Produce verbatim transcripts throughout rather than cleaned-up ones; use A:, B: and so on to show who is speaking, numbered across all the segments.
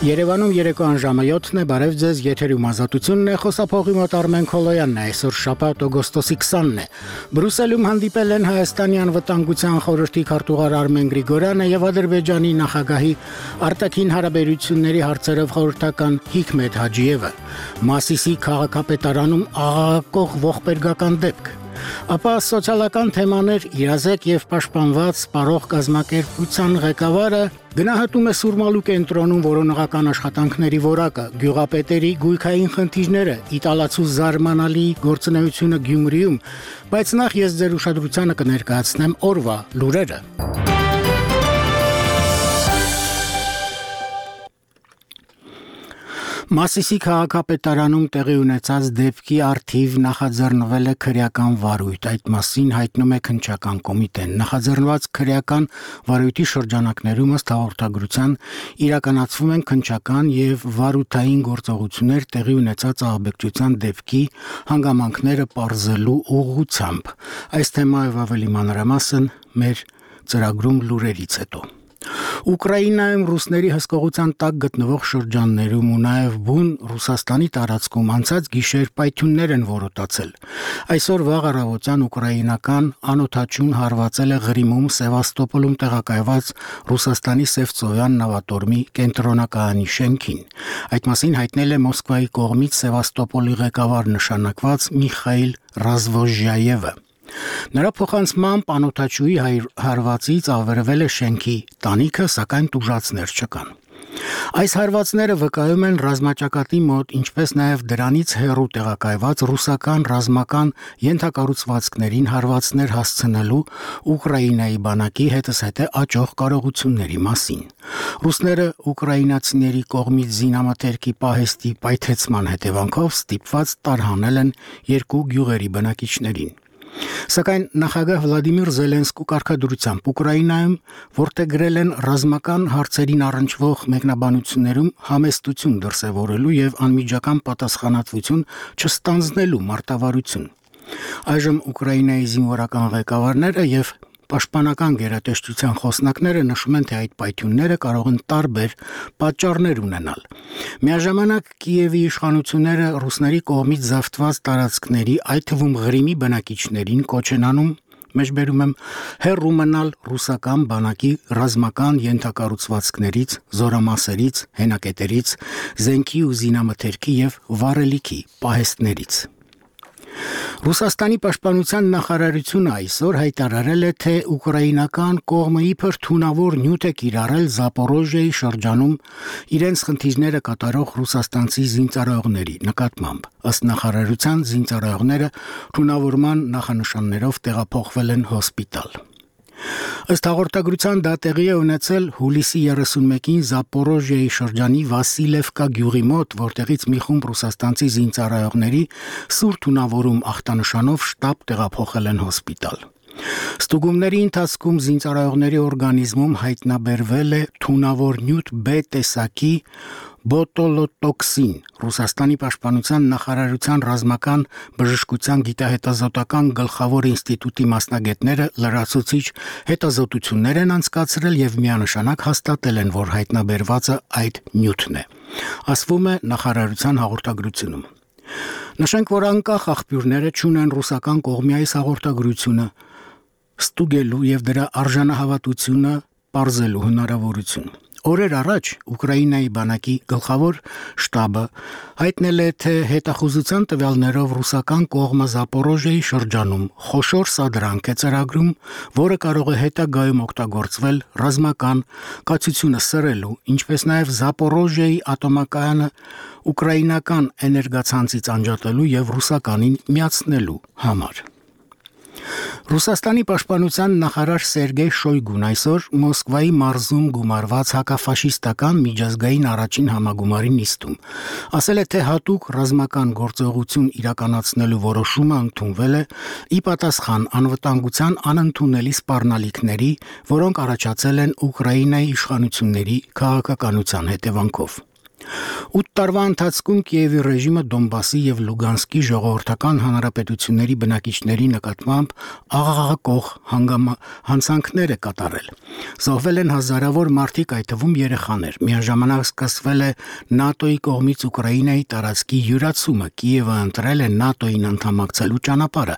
A: Երևանում երեկոյան ժամը յոթն է, բարև ձեզ, եթերում ազատությունն է, խոսափողի մոտ Արմեն Քոլոյանն է, այսօր շաբաթ օգոստոսի քսանն է։ Բրյուսելում հանդիպել են Հայաստանի անվտանգության խորհրդի քարտուղար Արմեն Գրիգորյանը եւ Ադրբեջանի նախագահի արտաքին հարաբերությունների հարցերով խորհրդական Հիկմետ Հաջիևը։ Մասիսի քաղաքապետարանում աղաղակող ողբերգական դեպք։ Ապա սոցիալական թեմաներ իրազեկ եւ պաշտպանված սպառող կազմակերպության ղեկավարը գնահատում է Սուրմալու կենտրոնում որոնողական աշխատանքների որակը, գյուղապետերի գույքային խնդիրները, իտալացու զարմանալի գործունեությունը Գյումրիում, բայց նախ ես ձեր ուշադրությանը կներկայացնեմ օրվա լուրերը։ Մասիսի քաղաքապետարանում տեղի ունեցած դեպքի առթիվ նախաձեռնվել է քրեական վարույթ, այդ մասին հայտնում է քննչական կոմիտեն։ Նախաձեռնված քրեական վարույթի շրջանակներում ըստ հաղորդագրության իրականացվում են քննչական եւ վարութային գործողություններ տեղի ունեցած ահաբեկչության դեպքի հանգամանքները պարզելու ուղղությամբ։ Այս թեմայով ավելի մանրամասն մեր ծրագրում լուրերից հետո։ Ուկրաինայում ռուսների հսկողության տակ գտնվող շրջաններում ու նաև բուն Ռուսաստանի տարածքում անցած գիշեր պայթյուններ են որոտացել։ Այսօր վաղ առավոտյան ուկրաինական անօդաչուն հարվածել է Ղրիմում Սևաստոպոլում տեղակայված Ռուսաստանի Սևծովյան նավատորմի կենտրոնակայանի շենքին։ Այդ մասին հայտնել է Մոսկվայի կողմից Սևաստոպոլի ղեկավար նշանակված Միխայիլ Ռազվոժյաևը։ Նրա փոխանցմամբ անօդաչուի հարվածից ավերվել է շենքի տանիքը, սակայն տուժածներ չկան։ Այս հարվածները վկայում են ռազմաճակատի մոտ, ինչպես նաև դրանից հեռու տեղակայված ռուսական ռազմական ենթակառուցվածքներին հարվածներ հասցնելու Ուկրաինայի բանակի հետզհետե աճող կարողությունների մասին։ Ռուսները ուկրաինացիների կողմից զինամթերքի պահեստի պայթեցման հետևանքով ստիպված տարհանել են երկու գյուղերի բնակիչներին։ Սակայն նախագահ Վլադիմիր Զելենսկու կարգադրությամբ Ուկրաինայում որտեղգրել են ռազմական հարցերին առնչվող մեկնաբանություններում համեստություն դրսևորելու եւ անմիջական պատասխանատվություն չստանձնելու մարտավարություն։ Այժմ Ուկրաինայի զինվորական ղեկավարները եւ Պաշտպանական գերատեսչության խոսնակները նշում են, թե այդ պայթյունները կարող են տարբեր պատճառներ ունենալ։ Միաժամանակ Կիևի իշխանությունները ռուսների կողմից զավթված տարածքների, այդ թվում Ղրիմի բնակիչներին կոչ են անում, մեջբերում եմ, հեռու մնալ ռուսական բանակի ռազմական ենթակառուցվածքներից, զորամասերից, հենակետերից, զենքի ու զինամթերքի եւ վառելիքի պահեստներից։ Ռուսաստանի պաշտպանության նախարարությունը այսօր հայտարարել է, թե ուկրաինական կողմը իբր թունավոր նյութ է կիրառել Զապորոժիայի շրջանում իրենց խնդիրները կատարող ռուսաստանցի զինծառայողների նկատմամբ։ Ըստ նախարարության զինծառայողները թունավորման նախանշաններով տեղափոխվել են հոսպիտալ։ Ըստ հաղորդագրության դա տեղի է ունեցել հուլիսի երեսունմեկին Զապորոժիայի շրջանի Վասիլևկա գյուղի մոտ, որտեղից մի խումբ ռուսաստանցի զինծառայողների սուր թունավորում ախտանշանով շտաբ տեղափոխել են հոսպիտալ։ Ստուգումների ընթացքում զինծառայողների օրգանիզմում հայտնաբերվել է թունավոր նյութ B տեսակի բոտոլոտոքսին։ Ռուսաստանի պաշտպանության նախարարության ռազմական բժշկության գիտահետազոտական գլխավոր ինստիտուտի մասնագետները լրացուցիչ հետազոտություններ են անցկացրել եւ միանշանակ հաստատել են, որ հայտնաբերվածը այդ նյութն է, ասվում է նախարարության հաղորդագրությունում։ Նշենք, որ անկախ աղբյուրները չունեն ռուսական կողմի այս հաղորդագրությունը ստուգելու եւ դրա արժանահավատությունը պարզելու հնարավորություն։ Օրեր առաջ Ուկրաինայի բանակի գլխավոր շտաբը հայտնել է, թե հետախուզության տվյալներով ռուսական կողմը Զապորոժիայի շրջանում խոշոր սադրանք է ծրագրում, որը կարող է հետագայում օգտագործվել ռազմական կացությունը սրելու, ինչպես նաև Զապորոժիայի ատոմակայանը ուկրաինական էներգացանցից անջատելու եւ ռուսականին միացնելու համար։ Ռուսաստանի պաշտպանության նախարար Սերգեյ Շոյգուն այսօր Մոսկվայի մարզում գումարված հակաֆաշիստական միջազգային առաջին համագումարի նիստում ասել է, թե հատուկ ռազմական գործողություն իրականացնելու որոշումը ընդունվել է ի պատասխան անվտանգության անընդունելի սպառնալիքների, որոնք առաջացել են Ուկրաինայի իշխանությունների քաղաքականության հետևանքով։ Ութ տարվա ընթացքում Կիևի ռեժիմը Դոնբասի եւ Լուգանսկի ժողովրդական հանրապետությունների բնակիչների նկատմամբ աղաղակող հանցանքներ է կատարել։ Զոհվել են հազարավոր մարդիկ, այդ թվում երեխաներ։ Միաժամանակ սկսվել է ՆԱՏՕ-ի կողմից Ուկրաինայի տարածքի յուրացումը։ Կիևը ընտրել է ՆԱՏՕ-ին անդամակցելու ճանապարհը։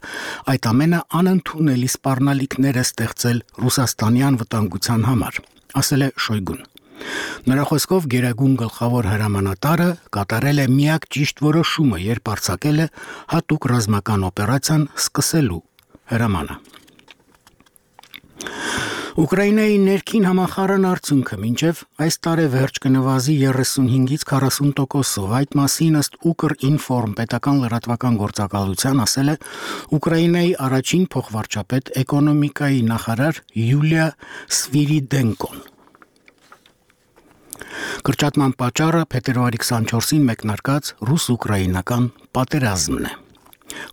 A: Այդ ամենը անընդունելի սպառնալիքներ է ստեղծել Ռուսաստանի անվտանգության համար, ասել է Շոյգուն։ Նրա խոսքով Գերագույն գլխավոր հրամանատարը կատարել է միակ ճիշտ որոշումը, երբ արձակել է հատուկ ռազմական օպերացիան սկսելու հրամանը։ Ուկրաինայի ներքին համախառն արդյունքը մինչև այս տարեվերջ կնվազի երեսունհինգից քառասուն տոկոսով։ Այդ մասին ըստ Ukrinform պետական լրատվական գործակալության ասել է Ուկրաինայի առաջին փոխվարչապետ էկոնոմիկայի նախարար Յուլիա Սվիրիդենկոն։ Կրճատման պատճառը փետրվարի քսանչորսին մեկնարկած ռուս-ուկրաինական պատերազմն է։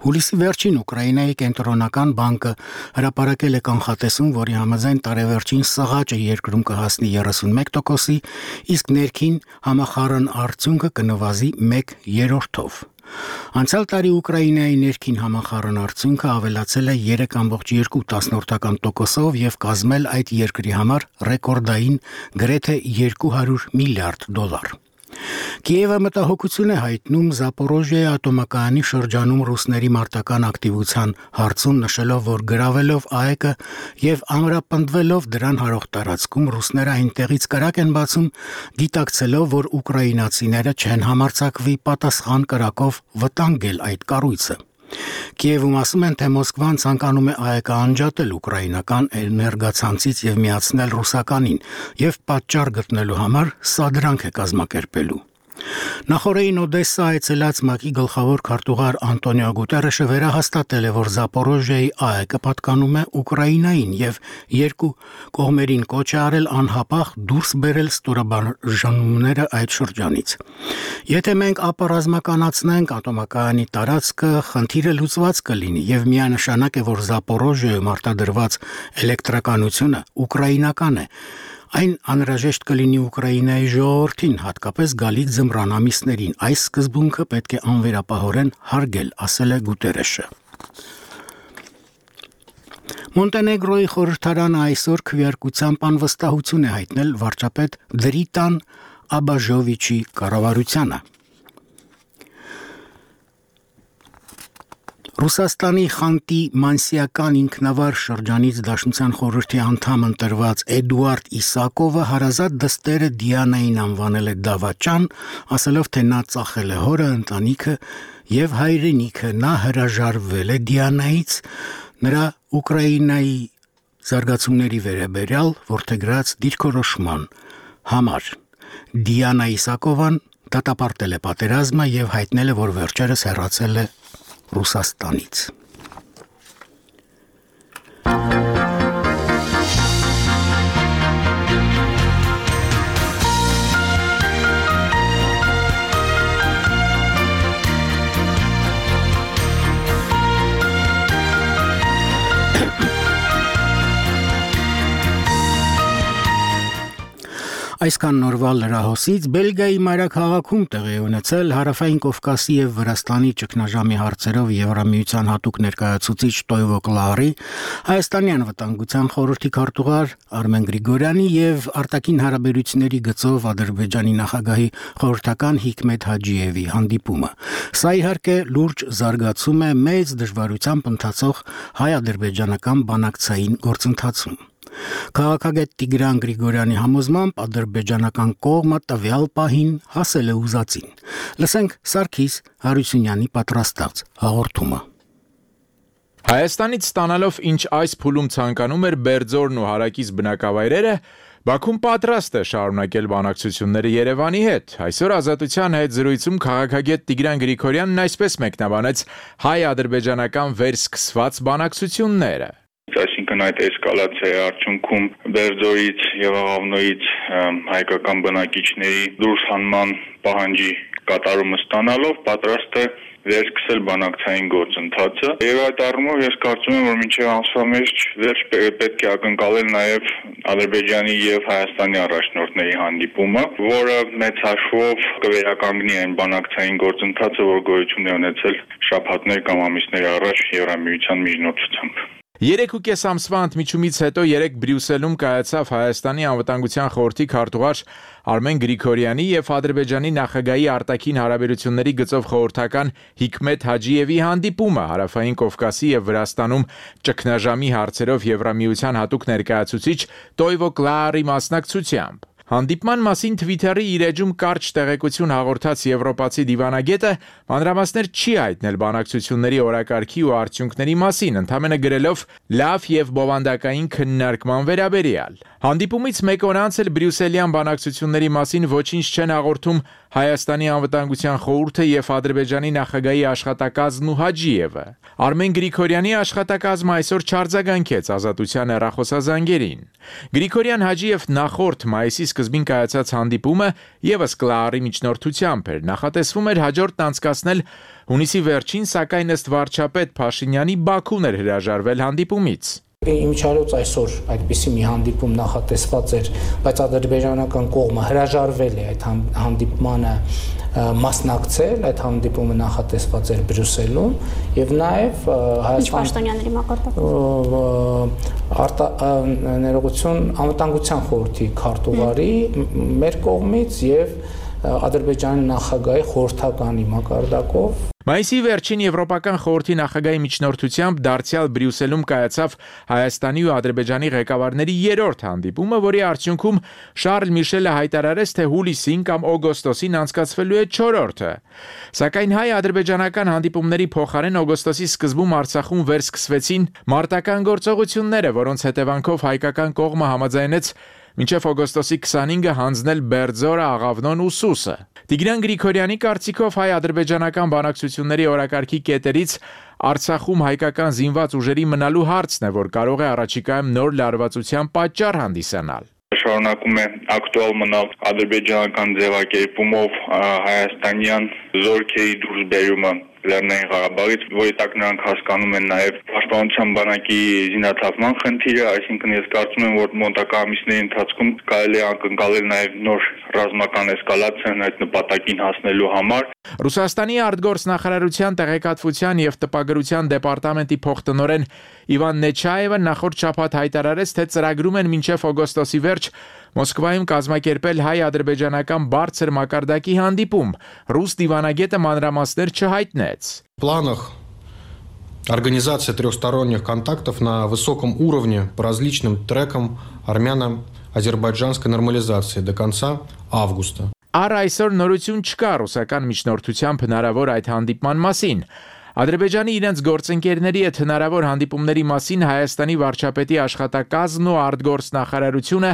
A: Հուլիսի վերջին Ուկրաինայի կենտրոնական բանկը հրապարակել է կանխատեսում, որի համաձայն տարեվերջին սղաճը երկրում կհասնի երեսունմեկ տոկոսի, իսկ ներքին համախառն արդյունքը կնվազի մեկ երրորդով։ Անցյալ տարի Ուկրաինայի ներքին համախառն արդյունքը ավելացել է երեք կόμկոմ երկու տոկոսով եւ կազմել այդ երկրի համար ռեկորդային գրեթե երկու հարյուր միլիարդ դոլար։ Կիևը մտահոգություն է հայտնում Զապորոժիայի ատոմակայանի շրջանում ռուսների մարտական ակտիվության հարցում, նշելով, որ գրավելով ԱԷԿ-ը եւ ամրապնդվելով դրան հարող տարածքում ռուսները այնտեղից կրակ են բացում, գիտակցելով, որ ուկրաինացիները չեն համարձակվի պատասխան կրակով վտանգել այդ կառույցը։ Կիևում ասում են, թե Մոսկվան ցանկանում է ԱԵԿ-ը անջատել ուկրաինական էներգացանցից եւ միացնել ռուսականին եւ պատճառ գտնելու համար սադրանք է կազմակերպելու։ Նախորդին Օդեսա այցելած ՄԱԿ-ի գլխավոր քարտուղար Անտոնիո Գուտերեշը վերահաստատել է, որ Զապորոժիայի ԱԵԿ-ը պատկանում է Ուկրաինային եւ երկու կողմերին կոչ է արել անհապաղ դուրս բերել ստորաբաժանումները այդ շրջանից։ Եթե մենք ապառազմականացնենք ատոմակայանի տարածքը, խնդիրը լուծված կլինի եւ միանշանակ է, որ Զապորոժիայում արտադրված էլեկտրականությունը ուկրաինական է։ Այն անհրաժեշտ կլինի Ուկրաինայի ժողովրդին, հատկապես գալիք ձմռան ամիսներին։ Այս սկզբունքը պետք է անվերապահորեն հարգել, ասել է Գուտերեշը։ Մոնտենեգրոյի խորհրդարանը այսօր քվեարկությամբ անվստահություն է հայտնել վարչապետ Դրիտան Աբաժովիչի կառավարությանը։ Ռուսաստանի Խանտի Մանսիական ինքնավար շրջանից Դաշնության խորհրդի անդամ ընտրված Էդուարդ Իսակովը հարազատ դստերը Դիանային անվանել է դավաճան, ասելով, թե նա ծախել է հորը, ընտանիքը եւ հայրենիքը։ Նա հրաժարվել է Դիանայից նրա Ուկրաինայի զարգացումների վերաբերյալ որդեգրած դիրքորոշման համար։ Դիանա Իսակովան դատապարտել է պատերազմը եւ հայտնել է, որ վերջերս հեռացել է Ռուսաստանից։ Այսքան նորվա լրահոսից Բելգիայի մայրաքաղաքում տեղի ունեցել Հարավային Կովկասի եւ Վրաստանի ճգնաժամի հարցերով Եվրամիության հատուկ ներկայացուցիչ Տոյվո Կլարի, Հայաստանի անվտանգության խորհրդի քարտուղար Արմեն Գրիգորյանի եւ արտաքին հարաբերությունների գծով Ադրբեջանի նախագահի խորհրդական Հիկմետ Հաջիևի հանդիպումը։ Սա իհարկե լուրջ զարգացում է մեծ դժվարությամբ ընթացող հայ-ադրբեջանական բանակցային գործընթացում։ Քաղաքագետ Տիգրան Գրիգորյանի համոզմամբ ադրբեջանական կողմը տվյալ պահին հասել է ուզածին։ Լսենք Սարգիս Հարությունյանի պատրաստած հաղորդումը։
B: Հայաստանից ստանալով ինչ այս փուլում ցանկանում էր Բերձորն ու հարակից բնակավայրերը, Բաքուն պատրաստ է շարունակել բանակցությունները Երևանի հետ։ Այսօր Ազատության հետ զրույցում քաղաքագետ Տիգրան Գրիգորյանն այսպես մեկնաբանեց հայ-ադրբեջանական վերսկսված բանակցությունները։
C: Այսինքն այդ էսկալացիայի արդյունքում Բերձորից եւ Աղավնոյից հայկական բնակիչների դուրս հանման պահանջի կատարումը ստանալով պատրաստ է վերսկսել բանակցային գործընթացը եւ այդ առումով ես կարծում եմ որ մինչեւ ամսվա մեջ վերջ պետք է ակնկալել նաեւ Ադրբեջանի եւ Հայաստանի առաջնորդների հանդիպումը, որը մեծ հաշվով կվերականգնի այն բանակցային գործընթացը, որ գոյություն է ունեցել շաբաթներ կամ ամիսներ առաջ Եվրամիության միջնորդությամբ։
B: Երեք ու կես ամսվա ընդմիջումից հետո երեք Բրյուսելում կայացավ Հայաստանի անվտանգության խորհրդի քարտուղար Արմեն Գրիգորյանի եւ Ադրբեջանի նախագահի արտաքին հարաբերությունների գծով խորհրդական Հիկմետ Հաջիևի հանդիպումը Հարավային Կովկասի եւ Վրաստանում ճգնաժամի հարցերով Եվրամիության հատուկ ներկայացուցիչ Տոյվո Կլարի մասնակցությամբ։ Հանդիպման մասին Twitter-ի իր էջում կարճ տեղեկություն հաղորդած եվրոպացի դիվանագետը մանրամասներ չի հայտնել բանակցությունների օրակարգի ու արդյունքների մասին, ընդամենը գրելով լավ եւ բովանդակային քննարկման վերաբերյալ։ Հանդիպումից մեկ օր անց էլ Բրյուսելյան բանակցությունների մասին ոչինչ չեն հաղորդում Հայաստանի անվտանգության խորհուրդը եւ Ադրբեջանի նախագահի աշխատակազմն ու Հաջիևը։ Արմեն Գրիգորյանի աշխատակազմը այսօր չարձագանքեց Ազատության հեռախոսազանգերին։ Գրիգորյան Հաջիև նախորդ մայիսի սկզբին կայացած հանդիպումը եւս Կլարի միջնորդությամբ էր, նախատեսվում էր հաջորդն անցկացնել հունիսի վերջին, սակայն ըստ վարչապետ Փաշինյանի Բաքուն էր հրաժարվել հանդիպումից։
D: Իմիջիայլոց այսօր այդպիսի մի հանդիպում նախատեսված էր, բայց ադրբեջանական կողմը հրաժարվել է այդ հանդիպմանը մասնակցել, այդ հանդիպումը նախատեսված էր Բրյուսելում եւ նաեւ
E: Հայաստանի
D: ներողություն անվտանգության խորհրդի քարտուղարի մեր կողմից եւ Ադրբեջանի նախագահի խորհրդականի մակարդակով
B: Մայիսի վերջին Եվրոպական խորհրդի նախագահի միջնորդությամբ դարձյալ Բրյուսելում կայացավ Հայաստանի ու Ադրբեջանի ղեկավարների երրորդ հանդիպումը, որի արդյունքում Շարլ Միշելը հայտարարեց, թե հուլիսին կամ օգոստոսին անցկացվելու է չորրորդը։ Սակայն հայ-ադրբեջանական հանդիպումների փոխարեն օգոստոսի սկզբում Արցախում վերսկսվեցին մարտական գործողությունները, որոնց հետևանքով հայկական կողմը համաձայնեց մինչև օգոստոսի քսանինը հանձնել Բերձորը, Աղավնոն ու Սուսը։ Տիգրան Գրիգորյանի կարծիքով հայ-ադրբեջանական բանակցությունների օրակարգի կետերից Արցախում հայկական զինված ուժերի մնալու հարցն է, որ կարող է առաջիկայում նոր լարվածության պատճառ հանդիսանալ։
C: Շարունակում է ակտուալ մնալ ադրբեջանական ձևակերպումով հայաստանյան զորքերի դուրսբերումը Լեռնային Ղարաբաղից, որի տակ նրանք հասկանում են նաև պաշտպանության բանակի զինաթափման խնդիրը, այսինքն ես կարծում եմ, որ մոտակա ամիսների ընթացքում կարելի է ակնկալել նաև նոր ռազմական էսկալացիան այդ նպատակին հասնելու համար։
B: Ռուսաստանի արտգործնախարարության տեղեկատվության եւ տպագրության դեպարտամենտի փոխտնօրեն Իվան Նեչաևը նախորդ շաբաթ հայտարարեց, թե ծրագրում են մինչև օգոստոսի վերջ Մոսկվայում կազմակերպել հայ-ադրբեջանական բարձր մակարդակի հանդիպում։ Ռուս դիվանագետը մանրամասներ չհայտնեց։
F: В планах организация трехсторонних контактов на высоком уровне по различным трекам армяно-азербайджанской нормализации до конца августа.
B: Առ այսօր նորություն չկա ռուսական միջնորդությամբ հնարավոր այդ հանդիպման մասին։ Ադրբեջանի իրենց գործընկերների հետ հնարավոր հանդիպումների մասին Հայաստանի վարչապետի աշխատակազմն ու արտգործնախարարությունը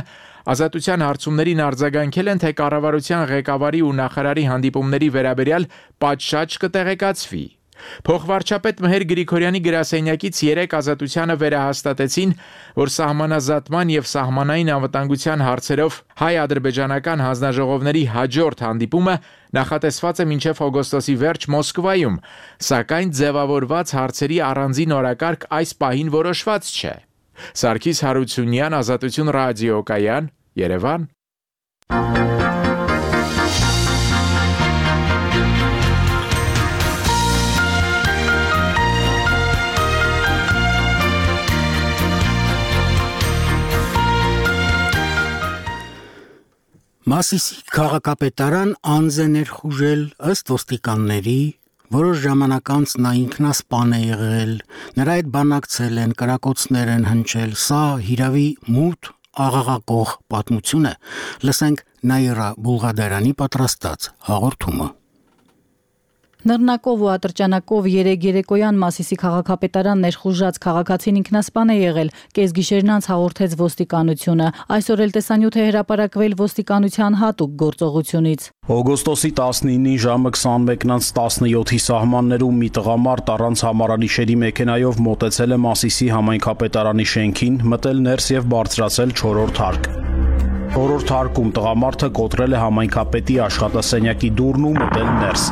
B: ազատության հարցումներին արձագանքել են, թե կառավարության ղեկավարի ու նախարարի հանդիպումների վերաբերյալ պատշաճ կտեղեկացվի։ Փոխվարչապետ Մհեր Գրիգորյանի գրասենյակից երեք ազատությանը վերահաստատեցին, որ սահմանազատման եւ սահմանային անվտանգության հարցերով հայ-ադրբեջանական հանձնաժողովների հաջորդ հանդիպումը նախատեսված է մինչև օգոստոսի վերջ Մոսկվայում, սակայն ձևավորված հարցերի առանձին օրակարգ այս պահին որոշված չէ։ Սարգիս Հարությունյան, Ազատություն ռադիոկայան, Երևան։
A: Մասիսի քաղաքապետարան անձ է ներխուժել ըստ ոստիկանների, որոշ ժամանակ անց նա ինքնասպան է եղել, նրա հետ բանակցել են, կրակոցներ են հնչել, սա հիրավի մութ աղաղակող պատմություն է։ Լսենք Նաիրա Բուլղադարյանի պատրաստած հաղորդումը։
E: Նռնակով ու ատրճանակով երեկ երեկոյան Մասիսի քաղաքապետարան ներխուժած քաղաքացին ինքնասպան է եղել, կեսգիշերն անց հաղորդեց ոստիկանությունը։ Այսօր էլ տեսանյութ է հրապարակվել ոստիկանության հատուկ գործողությունից։
G: Օգոստոսի տասնինին ժամը քսանմեկն անց տասնյոթի սահմաններում մի տղամարդ առանց համարանիշերի մեքենայով մոտեցել է Մասիսի համայնքապետարանի շենքին, մտել ներս եւ բարձրացել չորրորդ հարկ։ Չորրորդ հարկում տղամարդը կոտրել է համայնքապետի աշխատասենյակի դուռն ու մտել ներս։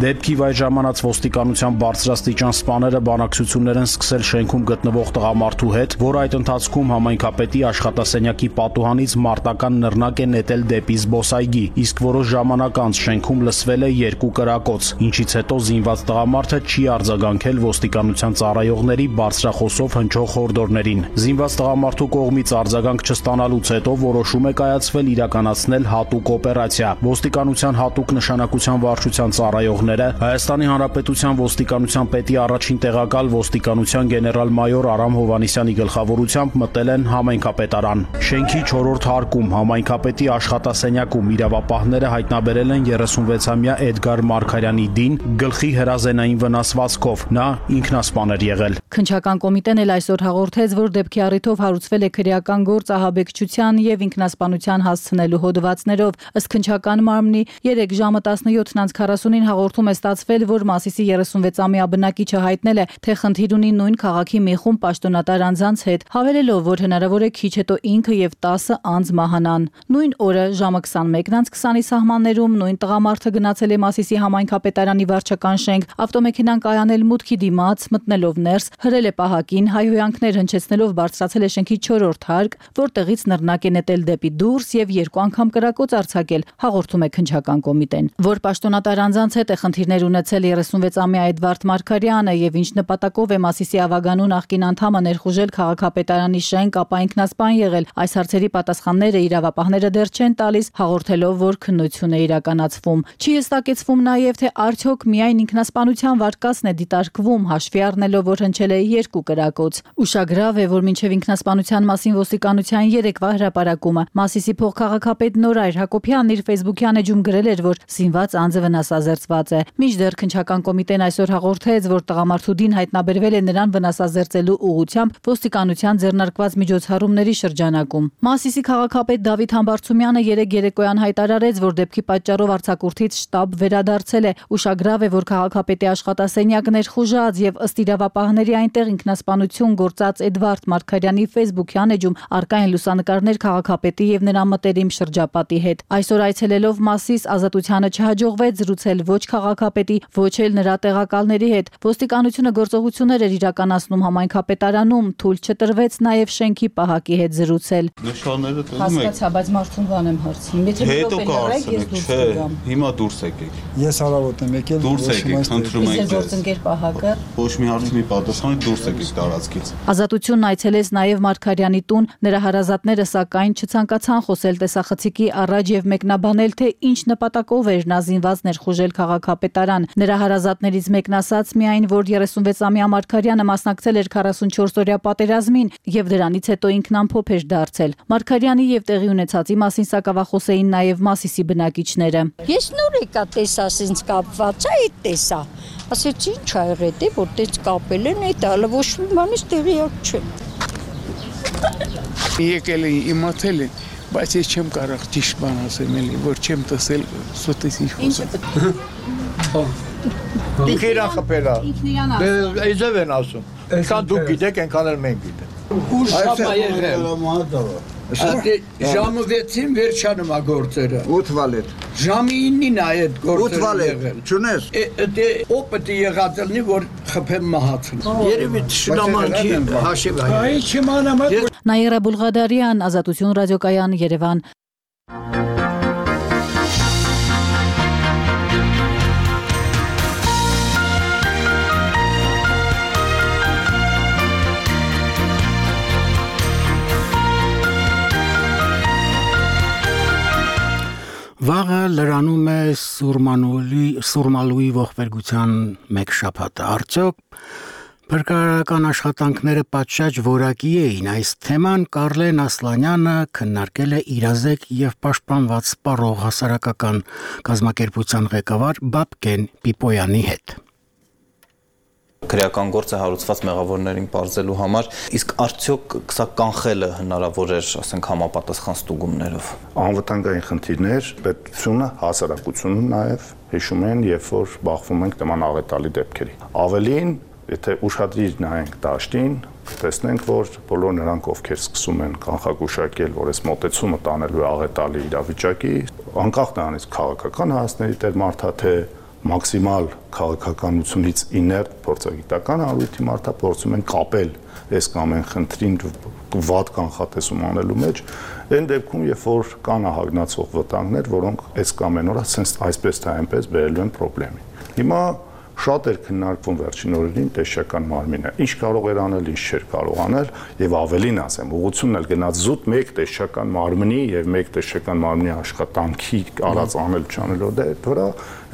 G: Դեպքի վայր ժամանած ոստիկանության բարձրաստիճան սպաները բանակցություններ են սկսել շենքում գտնվող տղամարդու հետ, որ այդ ընթացքում համայնքապետի աշխատասենյակի պատուհանից մարտական նռնակ է նետել դեպի զբոսայգի, իսկ որոշ ժամանակ անց շենքում լսվել է երկու կրակոց, ինչից հետո զինված տղամարդը չի արձագանքել ոստիկանության ծառայողների բարձրախոսով հնչող հորդորներին։ Զինված տղամարդու կողմից արձագանք չստանալուց հետո որոշում է կայացվել իրականացնել հատուկ օպերացիա։ Ոստիկանության հատուկ նշանակության վարչության ծառայողները Հայաստանի Հանրապետության ոստիկանության պետի առաջին տեղակալ ոստիկանության գեներալ-մայոր Արամ Հովհաննիսյանի գլխավորությամբ մտել են համայնքապետարան։ Շենքի չորրորդ հարկում համայնքապետի աշխատասենյակում իրավապահները հայտնաբերել են երեսունվեցամյա Էդգար Մարգարյանի դին գլխի հրազենային վնասվածքով, նա ինքնասպան էր եղել։
E: Քննչական կոմիտեն էլ այսօր հաղորդեց, որ դեպքի առիթով հարուցվել է քրեական գործ ահաբեկչության եւ ինքնասպանության հասցնելու հոդվածներով։ Ըստ քննչական մարմնի երեկ ժամը տասնյոթ քառասունին հաղորդում է ստացվել, որ Մասիսի երեսունվեցամյա բնակիչը հայտնել է, թե խնդիր ունի նույն քաղաքի մի խումբ պաշտոնատար անձանց հետ, հավելելով, որ հնարավոր է քիչ հետո ինքը եւ տասը անձ մահանան։ Նույն օրը ժամը քսանմեկն քսանի սահմաններում նույն տղամարդը գնացել է Մասիսի համայնքապետարանի վարչական շենք, ավտոմեքենան կայանել մուտքի դիմաց, մտնելով ներս, հրել է պահակին, հայհոյանքներ հնչեցնելով բարձրացել է շենքի չորրորդ հարկ, որտեղից նռնակ է նետել դեպի դուրս եւ երկու անգամ կրակոց արձակել, հաղորդում է քննչական կոմիտեն։ Որ պաշտոնատար անձանց հետ է խնդիրներ ունեցել երեսունվեցամյա Էդվարդ Մարգարյանը եւ ինչ նպատակով է Մասիսի ավագանու նախկին անդամը ներխուժել քաղաքապետարանի շենք, ապա ինքնասպան եղել, այս հարցերի պատասխանները իրավապահները դեռ չեն տալիս, հաղորդելով, որ քննություն է իրականացվում։ Չի հստակեցվում նաեւ, թե արդյոք միայն ինքնասպանության վարկածն է դիտարկվում, հաշվի առնելով, որ հնչել է երկու կրակոց։ Ուշագրավ է, որ մինչև ինքնասպանության մասին ոստիկանության երեկվա հրապարակումը Մասիսի փոխքաղաքապետ Նորայր Հակոբյանն իր ֆեյսբուքյան էջում գրել էր, որ զինված անձը վնասազերծված է։ Մինչդեռ քննչական կոմիտեն այսօր հաղորդեց, որ տղամարդու դին հայտնաբերվել է նրան վնասազերծելու ուղղությամբ ոստիկանության ձեռնարկված միջոցառումների շրջանակում։ Մասիսի քաղաքապետ Դավիթ Համբարձումյանը երեկ երեկոյան հայտարարեց, որ դեպքի պատճառով արձակուրդից շտաբ վերադարձել է։ Ուշագրավ է, որ քաղաքապետի աշխատասենյակն ներխուժած եւ ըստ իրավապահների այնտեղ ինքնասպանություն գործած Էդվարդ Մարգարյանի ֆեյսբուքյան էջում առկա են լուսանկարներ քաղաքապետի եւ նրա մտերիմ շրջապատի հետ։ Այսօր այցելելով Մասիս ազատությանը չհաջողվեց զրուցել ոչ քաղաքապետի, ոչ էլ նրա տեղակալների հետ։ Ոստիկանությունը գործողություններ էր իրականացնում համայնքապետարանում, թույլ չտրվեց նաեւ շենքի պահակի հետ զրուցել։
H: Նշանները տնում եք։
E: Հասկացա, բայց մարդուն բան եմ հարցնում։ Եթե
H: հետո կարծեք, չէ, հիմա դուրս եկեք։
I: Ես հարավոտ եմ եկել։
H: Դուրս եկեք, խնդրում ենք ձեզ։
E: Գործընկեր պահակը։
H: Ոչ մի հարցի մի պատասխանի դուրս եկեք տարածքից։
E: Ազատությունն այցելեց նաև Մարգարյանի տուն, նրա հարազատները սակայն չցանկացան խոսել տեսախցիկի առաջ եւ մեկնաբանել, թե ինչ նպատակով էր նա զինված ներխուժել քաղաքապետարան։ Նրա հարազատներից մեկն ասաց միայն, որ երեսունվեցամյա Մարգարյանը մասնակցել էր քառասունչորս-օրյա պատերազմին եւ դրանից հետո ինքն ամփոփ էր դարձել։ Մարգարյանի եւ տեղի ունեցածի մասին սակավախոս էին նաև Մասիսի բնակիչները։
J: Ես նոր եկա տեսաս ինձ կապված է, այդ տեսա։ Ասեցի ինչ ա եղել, դե որ դες կապել են, այդ ալը ոչ մի բանից տեղյակ չեմ։
I: Եկել են, իմացել են, բայց ես չեմ կարող ճիշտ բան ասեմ էլի, որ չեմ տեսել սոտես ինչ խոսել։
K: Դուք իրան խփելա։ Դե այդպես են ասում։ Այնքան դուք գիտեք, այնքան էլ մենք գիտենք։
L: Ուր շապ ա եղել։ Ժամը վեցին վերջանում ա գործերը։
K: ութ վալետ։
L: Ժամի իննին ա այդ գործերը
K: եղել։ Չունես։
L: Դե օպետի եղած լինի, որ խփեմ մահացն։
K: Երևի շնամանքի հաշիվ ա։
L: Այ չիմանամ։
E: Նաիրա Բուլղադարյան, Ազատություն ռադիոկայան, Երևան։
A: Վաղը լրանում է Սուրմանուլի Սուրմալուի ողբերգության մեկ շաբաթը։ Արդյոք փրկարարական աշխատանքները պատշաճ որակի էին։ Այս թեման Կարլեն Ասլանյանը քննարկել է իրազեկ եւ պաշտպանված սպառող հասարակական կազմակերպության ղեկավար Բաբկեն Պիպոյանի հետ։
M: Քրեական գործը հարուցված մեղավորներին պարզելու համար, իսկ արդյոք սա կանխելը հնարավոր էր, ասենք, համապատասխան ստուգումներով։
N: Անվտանգային խնդիրներ, պետությունը, հասարակությունը նաև հիշում են, երբ որ բախվում ենք նման աղետալի դեպքերի։ Ավելին, եթե ուշադրիր նայենք դաշտին, տեսնենք, որ բոլոր նրանք, ովքեր սկսում են կանխագուշակել, որ այս մոտեցումը տանելու է աղետալի իրավիճակի, անկախ նրանից քաղաքական հայացքների տեր մարդա թե մաքսիմալ քաղաքականությունից իներտ փորձագիտական առույթի մարդա փորձում են կապել այս կամ այն խնդրին վատ կանխատեսում անելու մեջ, այն դեպքում, երբ որ կան ահագնացող վտանգներ, որոնք այս կամ այն օրը այսպես թե այնպես բերելու են խնդրի։ Հիմա շատ էր քննարկվում վերջին օրերին տեսչական մարմինը, ինչ կարող էր անել, ինչ չէր կարող անել, եւ ավելին ասեմ, ուղղությունն էլ գնաց զուտ մեկ տեսչական մարմնի եւ մեկ տեսչական մարմնի աշխատանքի արած անել չանելով դե վրա,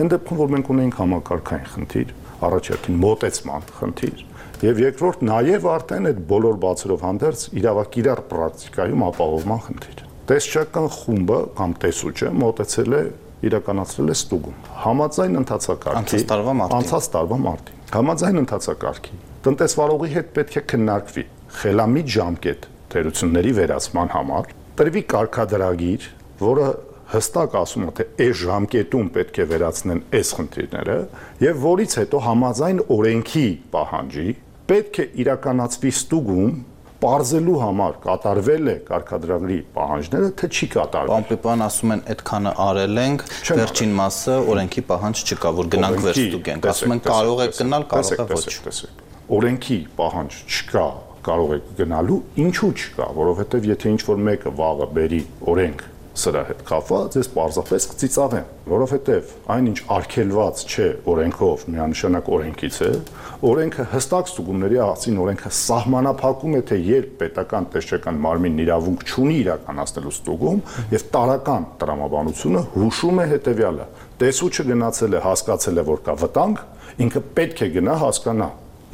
N: այն դեպքում, որ մենք ունենք համակարգային խնդիր, առաջարկին մոտեցման խնդիր, եւ երկրորդ նաեւ արդեն այդ բոլոր բացերով հանդերձ իրավակիրառ պրակտիկայում ապահովման խնդիր։ Տեսչական խումբը կամ տեսուչը մոտեցել է իրականացրել է ստուգում համաձայն ընթացակարգի անցած տարվա մարտին համաձայն ընթացակարգի տնտեսվարողի հետ պետք է քննարկվի խելամիտ ժամկետ թերությունների վերացման համար տրվի կարգադրագիր, որը հստակ ասում է թե այս ժամկետում պետք է վերացնեն այս խնդիրները եւ որից հետո համաձայն օրենքի պահանջի պետք է իրականացվի ստուգում Պարզելու համար կատարվել է կարգադրագրի պահանջները, թե չի կատարվել։
M: Պարոն Պիպյան ասում են, այդքանը արել ենք, վերջին մասը օրենքի պահանջ չկա, որ գնանք վերստուգենք։ Ասում են կարող է գնալ, կարող է ոչ։
N: Օրենքի պահանջ չկա, կարող է գնալու, ինչու չկա, որովհետև եթե ինչ-որ մեկը վաղը բերի օրենք սրա հետ կապված, ես պարզապես կծիծաղեմ, որովհետև այնինչ արգելված չէ օրենքով, միանշանակ օրենքից է, օրենքը հստակ ստուգումների աղցին օրենքը սահմանափակում է, թե երբ պետական տեսչական մարմինն իրավունք չունի իրականացնելու ստուգում եւ տարական տրամաբանությունը հուշում է հետեւյալը. տեսուչը գնացել է, հասկացել է, որ կա վտանգ, ինքը պետք է գնա հասկանա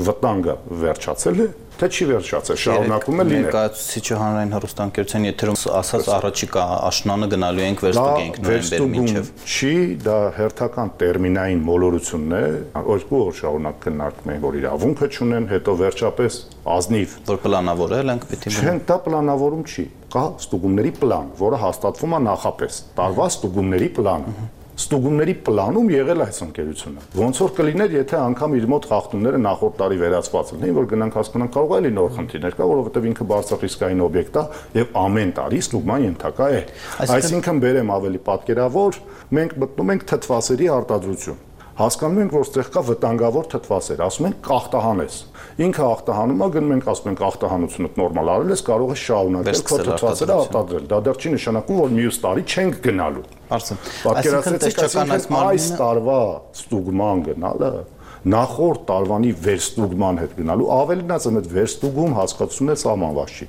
N: վտանգը վերջացել է, թե չի վերջացել, շարունակում է լինել։
M: Ներկայացուցիչը հանրային հեռուստաընկերության եթերում ասաց առաջիկա աշնանը գնալու ենք վերստուգենք նոյեմբեր մինչև։
N: Չի, դա հերթական տերմինային մոլորությունն է, երկու օր շարունակ քննարկում են, որ իրավունքը չունեն, հետո վերջապես ազնիվ
M: որ պլանավորել ենք պիտի։
N: Չէ, դա պլանավորում չի, կա ստուգումների պլան, որը հաստատվում է նախապես, տարվա ստուգումների պլանը։ Ստուգումների պլանում եղել այս ընկերությունը։ Ոնց որ կլիներ, եթե անգամ իր մոտ խախտումները նախորդ տարի վերացված լինեին, որ գնանք հասկանանք կարող է լինի նոր խնդիրներ կա, որովհետև ինքը բարձրախիսկային օբյեկտ է եւ ամեն տարի ստուգման ենթակա է։ Այսինքն բերեմ ավելի պատկերավոր, մենք մտնում ենք թթվասերի արտադրություն։ Հասկանում ենք, որ ստեղ կա վտանգավոր թթվասեր, ասում են կախտահանես։ Ինքը ախտահանում է, գնում ենք ասում ենք ախտահանությունը նորմալ արել ես, կարող է շարունակել քո թթվասերը արտադրել։ Դա դեռ չի նշանակում, որ մյուս տարի չենք գնալու։ Պատկերացրեք, այս տարվա ստուգման գնալը նախորդ տարվանի վերստուգման հետ գնալու ավելին ասեմ, այդ վերստուգում հասկացությունն է սահմանված չի։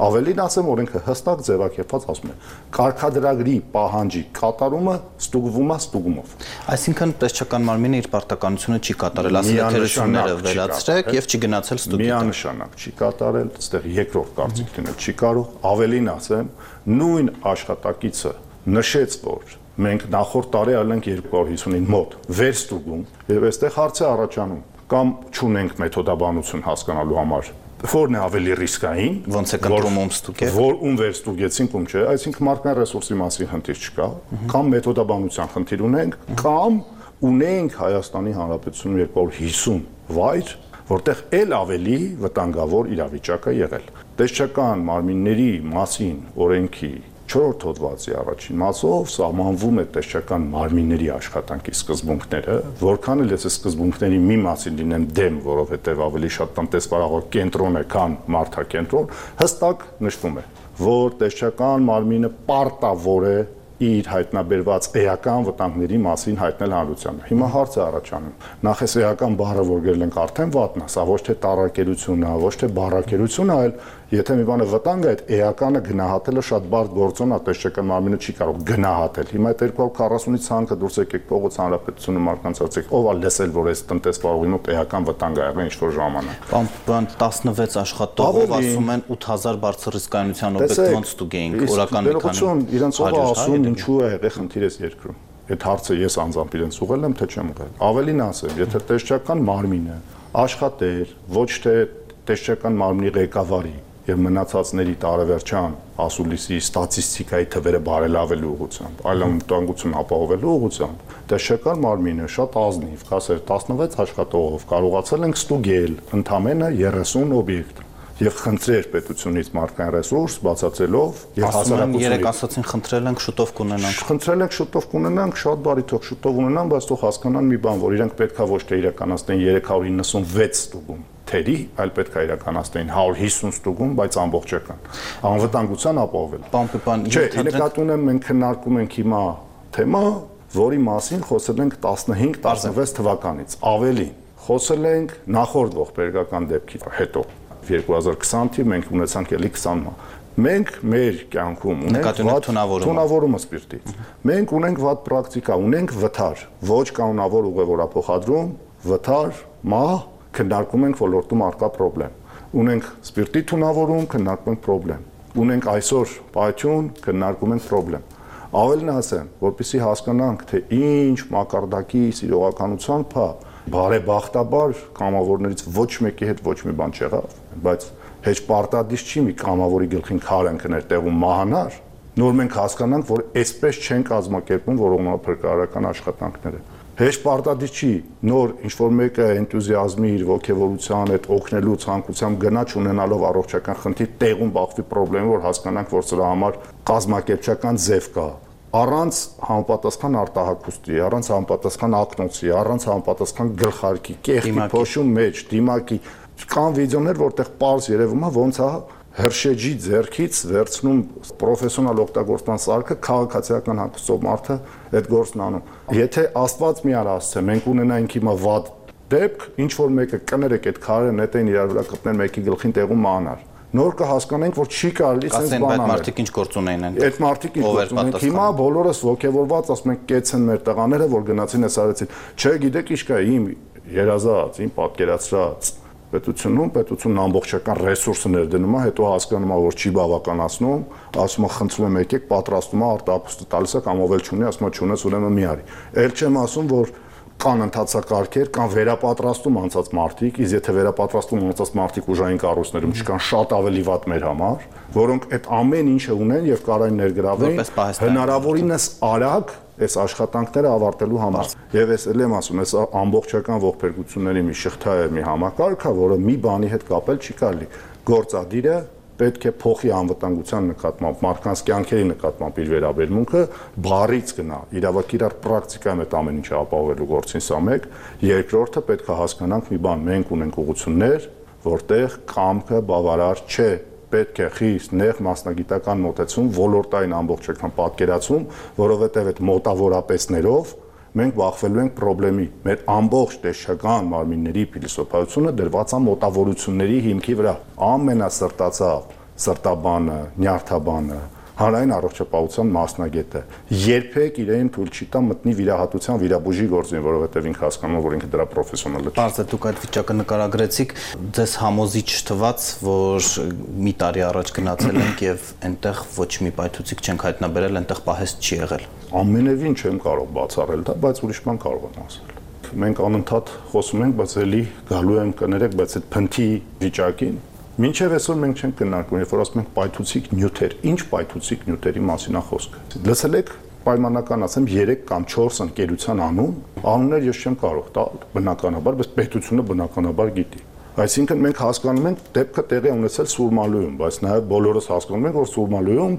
N: Ավելին ասեմ, օրենքը հստակ ձևակերպված ասում է, կարգադրագրի պահանջի կատարումը ստուգվում է ստուգումով։
M: Այսինքն տեսչական մարմինը իր պարտականությունը չի կատարել, ասել է թերությունները վերացրեք եւ չի գնացել ստուգի։
N: Միանշանակ չի կատարել, այստեղ երկրորդ կարծիք դնել չի կարող։ Ավելին ասեմ, նույն աշխատակիցը նշեց, որ մենք նախորդ տարի ալենք երկու հարյուր հիսունին մոտ վերստուգում եւ այստեղ հարց է առաջանում կամ չունենք մեթոդաբանություն հասկանալու համար որն է ավելի ռիսկային,
M: ոնց է կտրում ստուգել,
N: որ ում վերստուգեցինք, ում չէ, այսինքն մարդկային ռեսուրսի մասին խնդիր չկա, կամ մեթոդաբանության խնդիր ունենք, կամ ունենք Հայաստանի Հանրապետությունում երկու հարյուր հիսուն վայր, որտեղ ել ավելի վտանգավոր իրավիճակ է եղել։ Տեսչական մարմինների մասին օրենքի չորրորդ հոդվածի առաջին մասով սահմանվում է տեսչական մարմինների աշխատանքի սկզբունքները, որքան էլ ես սկզբունքների մի մասին լինեմ դեմ, որովհետև ավելի շատ տնտեսվարող կենտրոն է, քան մարդակենտրոն, հստակ նշվում է, որ տեսչական մարմինը պարտավոր է իր հայտնաբերված էական վտանգների մասին հայտնել հանրությանը։ Հիմա հարց է առաջանում։ Նախ էս էական բառը որ գրել ենք արդեն վատն է, սա ոչ թե տարակերություն է, ոչ թե բառակերություն է, այլ եթե մի բանը վտանգ է, այդ էականը գնահատելը շատ բարդ գործոն է, տեսչական մարմինը չի կարող գնահատել։ Հիմա այդ երկու հարյուր քառասունից ցանկը դուրս եկեք փողոց հանրապետությունը մարդկանց ասեք, ով է լսել, որ այս տնտեսվարողի մոտ էական վտանգ ա եղել ինչ-որ ժամանակ։
M: Բան տասնվեց աշխատողով ասում են ութ հազար բարձր ռիսկայնության օբյեկտ ոնց ստուգեինք, օրական մի քանի
N: իրենց ով ասում ինչու է եղել խնդիր էս երկրում։ Այդ հարցը ես անձամբ իրենց ուղղել եմ, թե չեմ ուղղել։ Ավելին ասեմ, եթե տեսչական մարմինը աշխատեր ոչ թե տեսչական մարմնի ղեկավարի եւ մնացածների տարեվերջան ասուլիսի ստատիստիկայի թվերը բարելավելու ուղղությամբ, այլ անվտանգություն ապահովելու ուղղությամբ, տեսչական մարմինը շատ ազնիվ, կասեր տասնվեց աշխատողով կարողացել ենք ստուգել ընդամենը երեսուն օբյեկտ։ եւ խնդրեր պետությունից մարդկային ռեսուրս բացացելով եւ
M: հասարակությունը երեք ասացին խնդրել ենք շուտով կունենանք
N: խնդրել ենք շուտով կունենանք շատ բարի թող շուտով ունենան բայց թող հասկանան մի բան որ իրենք պետքա ոչ թե իրականացնեն երեք հարյուր իննսունվեց ստուգում թերի այլ պետքա իրականացնեն հարյուր հիսուն ստուգում բայց ամբողջական անվտանգության ապահովել
M: պամպան
N: չէ նկատի ունեմ մենք քննարկում ենք հիմա թեմա որի մասին խոսել ենք տասնհինգ տասնվեց թվականից ավելի խոսել ենք նախորդ ողբերգական դեպքի հետո երկու հազար քսան թ մենք ունեցանք էլի քսան մա մենք մեր կյանքում ունենք թունավորումը սպիրտից մենք ունենք վատ պրակտիկա ունենք վթար ոչ կանոնավոր ուղևորափոխադրում վթար մահ քննարկում ենք ոլորտում արկա պրոբլեմ ունենք սպիրտի թունավորում քննարկում ենք պրոբլեմ ունենք այսօր պայթյուն քննարկում ենք պրոբլեմ ավելին ասեմ որպեսզի հասկանանք թե ինչ մակարդակի սիրողականության փա բարեբախտաբար կամավորներից ոչ մեկի հետ ոչ մի բան չեղավ բայց հեչ պարտադիր չի մի կամավորի գլխին քար ընկներ տեղում մահանար նոր մենք հասկանանք որ այսպես չեն կազմակերպում որոնապրկարարական աշխատանքները հեչ պարտադիր չի նոր ինչ որ մեկը էնտուզիազմի իր ոգևորության հետ օգնելու ցանկությամբ գնա չունենալով առողջական խնդիր տեղում բախվի խնդրեմ որ հասկանանք որ սրա համար կազմակերպչական ձև կա առանց համապատասխան արտահայտուստի, առանց համապատասխան ակնոցի, առանց համապատասխան գլխարկի, կեղքի փոշու մեջ, դիմակի կան վիդեոներ, որտեղ պարզ երևում է ոնց է հրշեջի ձեռքից վերցնում պրոֆեսիոնալ օգտագործման սարքը քաղաքացիական հագուստով մարդը այդ գործն անում։ Եթե Աստված մի արա ասце, մենք ունենայինք հիմա վատ դեպք, ինչ որ մեկը կներեք այդ քարերը նետեն իրար վրա կպներ մեկի գլխին տեղում մանար։ Նոր կհասկանենք, որ չի կարելի sense բան անել։
M: Ասեն, այդ մարդիկ ինչ գործ ունեն են։
N: Այդ մարդիկ ինչ գործ ունեն։ Հիմա բոլորս ողջևորված, ասում ենք, կեցեն մեր տղաները, որ գնացին այս արեցին։ Չէ, գիտեք ինչ կա, իմ երազած, իմ պատկերացրած պետությունում, պետությունն ամբողջական ռեսուրսը ներդնում է, հետո հասկանում է, որ չի բավականացնում, ասում է, խնդրում եմ եկեք, պատրաստում է, արտահայտուստը տալիս է կամ ով էլ չունի, ասում է, չունես, ուրեմն մի արի։ Էլ չեմ ասում, որ կան ընթացակարգեր, կան վերապատրաստում անցած մարդիկ, իսկ եթե վերապատրաստում անցած մարդիկ ուժային կառույցներում չկան շատ ավելի վատ մեր համար, որոնք այդ ամեն ինչը ունեն եւ կարային ներգրավեն հնարավորինս արագ այս աշխատանքները ավարտելու համար։ Եվ ես էլ եմ ասում, այս ամբողջական ողբերգությունների մի շղթա է, մի համակարգ է, որը մի բանի հետ կապել չի կարելի։ Գործադիրը պետք է փոխի անվտանգության նկատմամբ, մարդկանց կյանքերի նկատմամբ իր վերաբերմունքը բառից գնա, իրավական իրար պրակտիկայում այդ ամեն ինչը ապահովելու գործին սա մեկ, երկրորդը պետք է հասկանանք մի բան, մենք ունենք ուղղություններ, որտեղ կամքը բավարար չէ, պետք է խիստ նեղ մասնագիտական մոտեցում, ոլորտային ամբողջական պատկերացում, որովհետև այդ մոտավորապես մենք բախվելու ենք խնդրի։ Մեր ամբողջ տեսչական մարմինների փիլիսոփայությունը դրված է մոտավորությունների հիմքի վրա։ Ամենասրտացավ սրտաբանը, նյարդաբանը, հանրային առողջապահության մասնագետը երբեք իրեն թույլ չի տա մտնի վիրահատության վիրաբուժի գործին, որովհետև ինքը հասկանում է, որ ինքը դրա պրոֆեսիոնալ է։
M: Պարզ է, դուք այդ վիճակը նկարագրեցիք, ձեզ համոզիչ թվաց, որ մի տարի առաջ գնացել ենք եւ այնտեղ ոչ մի պայթուցիկ չենք հայտնաբերել, այնտեղ պահեստ չի եղել։
N: Ամենևին չեմ կարող բացառել դա, բայց ուրիշ բան կարող եմ ասել։ Մենք անընդհատ խոսում ենք, բայց էլի գալու եմ կներեք, բայց այդ փնթի վիճակին մինչև այսօր մենք չենք քննարկում, երբ որ ասում ենք պայթուցիկ նյութեր, ինչ պայթուցիկ նյութերի մասին է խոսքը։ Լսել եք պայմանական ասեմ երեք կամ չորս ընկերության անուն, անուններ ես չեմ կարող տալ, բնականաբար, բայց պետությունը բնականաբար գիտի։ Այսինքն մենք հասկանում ենք դեպքը տեղի ունեցել Սուրմալույում, բայց նաև բոլորս հասկանում ենք, որ Սուրմալույում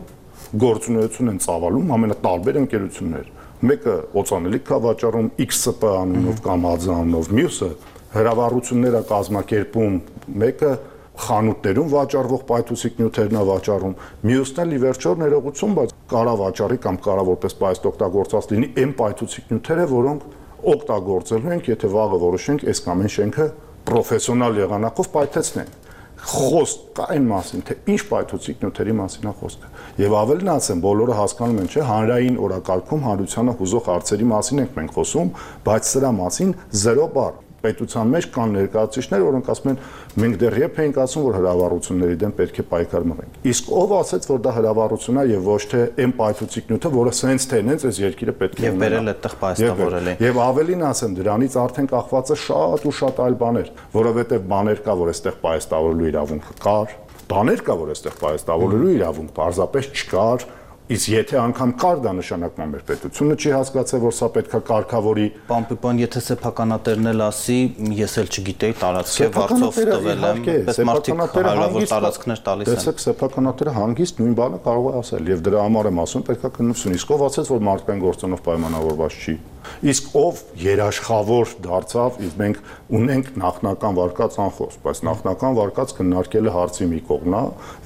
N: գործունեություն են ծավալում ամենատարբեր ընկերություններ։ Մեկը օծանելիք է վաճառում X S P անունով կամ Ա D Z անունով, մյուսը հրավառություններ է կազմակերպում, մեկը խանութներում վաճառվող պայթուցիկ նյութերն է վաճառում, մյուսն էլ ի վերջո ներողություն, բայց կարա վաճառի կամ կարա որպես պայուստ օգտագործած լինի այն պայթուցիկ նյութերը, որոնք օգտագործելու ենք, եթե վաղը որոշենք այս կամ այն շենքը պրոֆեսիոնալ եղանակով պայթեցնենք։ Խոսք կա այն մասին, թե ինչ պայթուցիկ նյութերի մասին է խոսքը։ Եվ ավելին ասեմ, բոլորը հասկանում են, չէ, հանրային օրակարգում հանրությանը հուզող հարցերի մասին ենք մենք խոսում, բայց սրա մասին զերո բառ։ Պետության մեջ կան ներկայացուցիչներ, որոնք ասում են, մենք դեռ երբ էինք ասում, որ հրավառությունների դեմ պետք է պայքար մղենք։ Իսկ ով ասեց, որ դա հրավառություն է եւ ոչ թե այն պայթուցիկ նյութը, որը սենց թե նենց այս երկիրը պետք է
M: ունենա։ Եվ բերել այդտեղ պայստավորել է։
N: Եվ ավելին ասեմ, դրանից արդեն կախված է շատ ու շատ այլ բաներ, որովհետեւ բաներ կա, որ այստեղ պայստավորելու իրավունքը կար, բաներ կա, որ այստեղ պայստավորելու իրավունք պարզապես չկար, Իսկ եթե անգամ կար դա նշանակում է մեր պետությունը չի հասկացել, որ սա պետքա կարգավորի։
M: Պարոն Պիպյան, եթե սեփականատերն էլ ասի, ես էլ չգիտեի, տարածքի վարձով տվել եմ, պես մարդիկ հարյուրավոր տարածքներ տալիս են։
N: Տեսեք, սեփականատերը հանգիստ նույն բանը կարող է ասել, եւ դրա համար եմ ասում, պետքա քննություն։ Իսկ ով ասեց, որ մարդկային գործոնով պայմանավորված չի։ Իսկ ով երաշխավոր դարձավ, իսկ մենք ունենք նախնական վարկած անխոս, բայց նախնական վարկած քննարկելը հարցի մի կողմն է,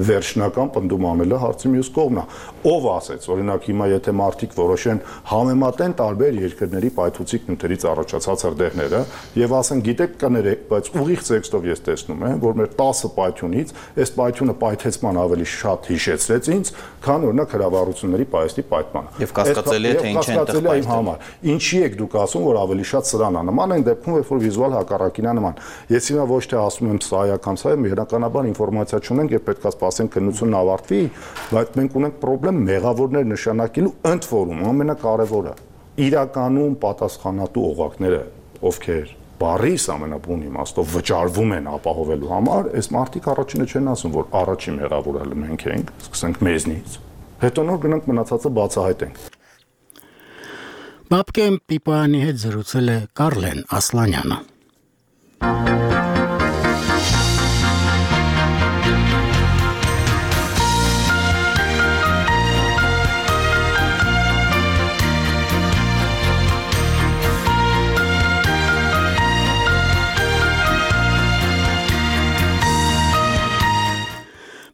N: վերջնական պնդում անելը հարցի մյուս կողմն է։ Ով ասեց, օրինակ հիմա եթե մարդիկ որոշեն համեմատեն տարբեր երկրների պայթուցիկ նյութերից առաջացած հրդեհները եւ ասեն, գիտեք, կներեք, բայց ուղիղ տեքստով ես տեսնում եմ, որ մեր տասը պայթյունից այս պայթյունը պայթեցման ավելի շատ հիշեցրեց ինձ, քան օրինակ հրավառությունների պայթի պայթմանը։
M: Եվ կասկածելի է, թե ինչ է այնտեղ
N: պայթել։ Ինչի եք դուք ասում, որ ավելի շատ սրան է նման, այն դեպքում, երբ որ վիզուալ հակառակին է նման։ Ես հիմա ոչ թե ասում եմ սա է կամ սա է, բնականաբար ինֆորմացիա չունենք եւ պետք է սպասենք քննությունն ավարտվի, բայց մենք ունենք խնդրեմ մեղավորներ նշանակելու ընդ որում ամենակարևորը իրականում պատասխանատու օղակները, ովքեր բարիս ամենաբուն իմաստով վճարվում են ապահովելու համար, այս մարդիկ առաջինը չեն ասում, որ առաջին մեղավորը մենք ենք, սկսենք մեզնից, հետո նոր գնանք մնացածը բացահայտենք։
A: Բաբկեն Պիպյանի հետ զրուցել է Կարլեն Ասլանյանը։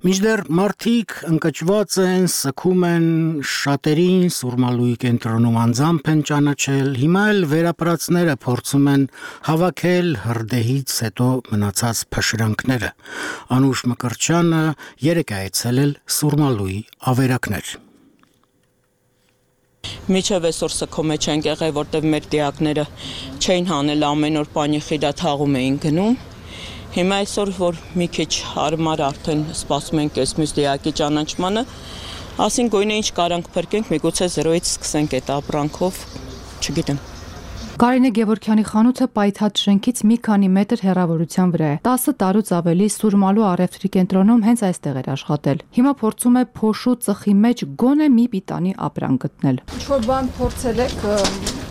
A: Մինչդեռ մարդիկ ընկճված են, սգում են, շատերին Սուրմալուի կենտրոնում անձամբ են ճանաչել, հիմա էլ վերապրածները փորձում են հավաքել հրդեհից հետո մնացած փշրանքները։ Անուշ Մկրտչյանը երեկ է այցելել Սուրմալուի ավերակներ։
O: Միջև այսօր սգում չենք եղել, որտեղ մեր դիակները չէին հանել ամեն օր պանի խիրա թաղում էին գնում։ Հիմա այսօր, որ մի քիչ հարմար արդեն սպասում ենք այս մյուս դիակի ճանաչմանը, ասին գույնը ինչ կարանք փրկենք, միգուցե զրոյից սկսենք այդ ապրանքով, չգիտեմ։
P: Կարինե Գևորգյանի խանութը պայթած շենքից մի քանի մետր հեռավորության վրա է։ տասը տարուց ավելի Սուրմալու առևտրի կենտրոնում հենց այստեղ էր աշխատել։ Հիմա փորձում է փոշու ծխի մեջ գոնե մի պիտանի ապրանք գտնել։
Q: Ինչ-որ բան փորձել եք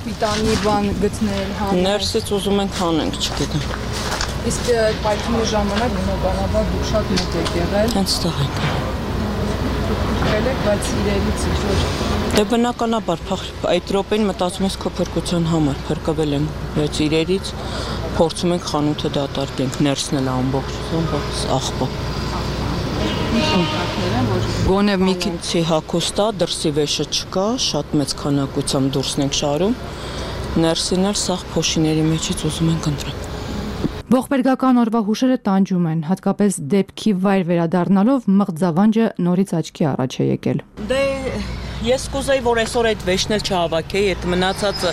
Q: պիտանի բան գտնել, հանել։
O: Ներսից ուզում ենք հանենք, չգիտեմ։
Q: Իսկ պայթյունի ժամանակ բնականաբար դուք շատ մոտ եք եղել։
O: Հենց տեղ եք։
Q: Եղել եք, բայց իրերից ինչ-որ։
O: Դե բնականաբար այդ րոպեին մտածում ես քո փրկության համար, փրկվել եմ, բայց իրերից փորձում ենք խանութը դատարկենք, ներսնել ամբողջ աղբը։ Գոնե մի քիչ հագուստ է, դրսի վեշը չկա, շատ մեծ քանակությամբ դուրսն ենք շարում, ներսին էլ սաղ փոշիների մեջից ուզում ենք ընտրենք։
P: Ողբերգական օրվա հուշերը տանջում են, հատկապես դեպքի վայր վերադառնալով մղձավանջը նորից աչքի առաջ է եկել։
O: Դե ես կուզեի, որ այսօր այդ վեշն էլ չհավաքեի, այդ մնացածը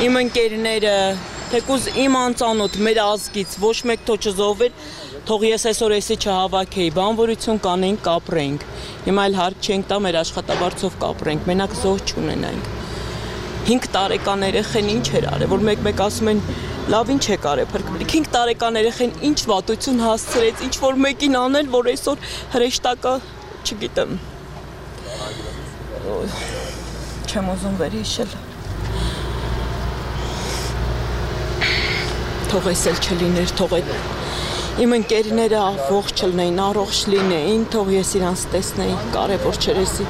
O: իմ ընկերները, թեկուզ իմ անծանոթ մեր ազգից ոչ մեկ թո չզոհվեր, թող ես այսօր էսի չհավաքեի, բանվորություն կանենք, կապրենք։ Հիմա էլ հարկ չենք տա մեր աշխատավարձով կապրենք, մենակ զոհ չունենանք։ հինգ տարեկան երեխեն ինչ էր արել, որ մեկ-մեկ ասում են լավ ինչ է կարել փրկվել։ հինգ տարեկան երեխեն ինչ վատություն հասցրեց, ինչ որ մեկին անել, որ այսօր հրեշտակը, չգիտեմ։ Չեմ ուզում վերհիշել։ Թող էս էլ չլիներ, թող այդ իմ ընկերները ողջ չլինեին, առողջ լինեին, թող ես իրանց տեսնեի, կարևոր չէր էսի։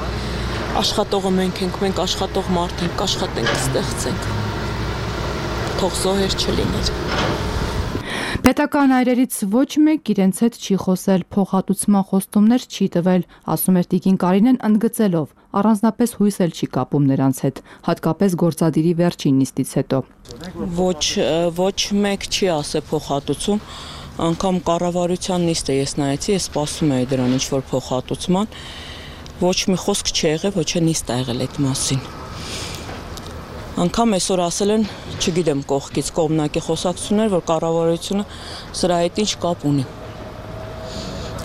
O: Աշխատողը մենք ենք, մենք աշխատող մարդ ենք, աշխատենք, ստեղծենք։ Թող զոհեր չլիներ։
P: Պետական այրերից ոչ մեկ իրենց հետ չի խոսել, փոխհատուցման խոստումներ չի տվել, ասում էր Տիկին Կարինեն ընդգծելով, առանձնապես հույս էլ չի կապում նրանց հետ, հատկապես գործադիրի վերջին նիստից հետո։
O: Ոչ, ոչ մեկ չի ասել փոխհատուցում, անգամ կառավարության նիստը ես նայեցի, ես սպասում էի դրան ինչ-որ փոխհատուցման, ոչ մի խոսք չի եղել, ոչ է նիստ ա եղել այդ մասին։ Անգամ այսօր ասել են, չգիտեմ կողքից կողմնակի խոսակցություններ, որ կառավարությունը սրա հետ ինչ կապ ունի։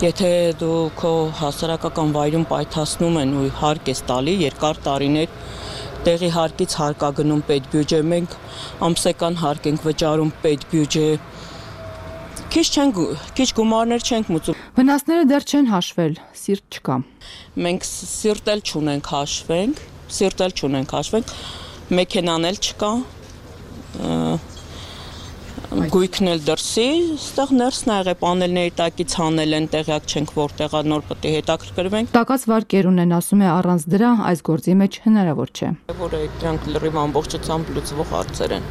O: Եթե դու քո հասարակական վայրում պայթացնում են ու հարկ ես տալի, երկար տարիներ տեղի հարկից հարկագնում պետբյուջե, մենք ամսական հարկ ենք վճարում պետբյուջե, Քիչ չեն քիչ գումարներ չենք մուծում։
P: Վնասները դեռ չեն հաշվել, սիրտ չկա։
O: Մենք սիրտ էլ չունենք հաշվենք, սիրտ էլ չունենք հաշվենք, մեքենան էլ չկա։ Գույքն էլ դրսի, այստեղ ներսն ա եղել, պանելների տակից հանել են, տեղյակ չենք որտեղ ա, նոր պետք է հետաքրքրվենք։
P: Տակած վարկեր ունեն, ասում է, առանց դրա այս գործի մեջ հնարավոր չէ։
O: Որ դրանք լրիվ ամբողջությամբ լուծվող հարցեր են։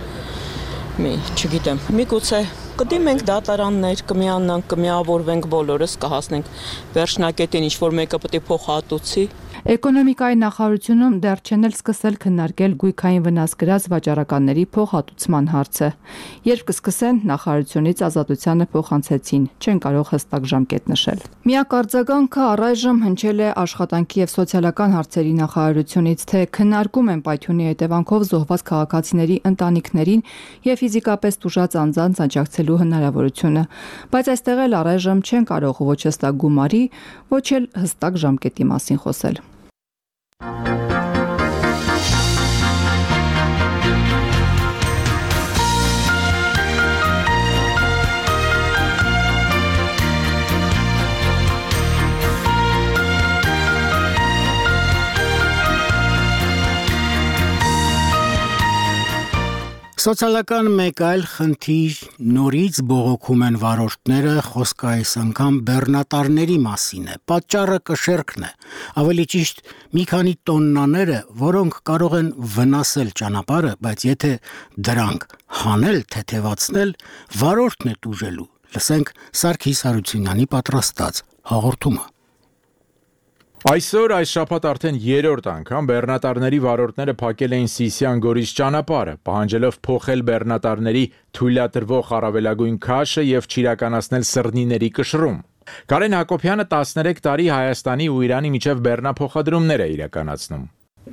O: Մի, չգիտեմ, միգուցե կդիմենք դատարաններ, կմիանանք, կմիավորվենք բոլորս, կհասնենք վերջնակետին, ինչ որ մեկը պետք է փոխհատուցի։
P: Էկոնոմիկայի նախարարությունում դեռ չեն էլ սկսել քննարկել գույքային վնաս կրած վաճառականների փոխհատուցման հարցը։ Երբ կսկսեն, նախարարությունից ազատությանը փոխանցեցին, չեն կարող հստակ ժամկետ նշել։ Միակ արձագանքը առայժմ հնչել է աշխատանքի եւ սոցիալական հարցերի նախարարությունից, թե քննարկում են պայթյունի հետևանքով զոհված քաղաքացիների ընտանիքներին եւ ֆիզիկապես տուժած անձանց աջակցելու հնարավորությունը, բայց այստեղ էլ առայժմ չեն կարող ոչ հստակ գումարի, ոչ էլ հստակ ժամկետի մասին խոսել։
A: Սոցիալական մեկ այլ խնդիր նորից բողոքում են վարորդները, խոսքը այս անգամ բեռնատարների մասին է։ Պատճառը կշեռքն է, ավելի ճիշտ մի քանի տոննաները, որոնք կարող են վնասել ճանապարհը, բայց եթե դրանք հանել, թեթևացնել, վարորդն է տուժելու։ Լսենք Սարգիս Հարությունյանի պատրաստած հաղորդումը։
B: Այսօր այս շաբաթ արդեն երրորդ անգամ բեռնատարների վարորդները փակել էին Սիսիան-Գորիս ճանապարհը, պահանջելով փոխել բեռնատարների թույլատրվող առավելագույն քաշը եւ չիրականացնել սռնիների կշռում։ Կարեն Հակոբյանը տասներեք տարի Հայաստանի ու Իրանի միջև բեռնափոխադրումներ է իրականացնում։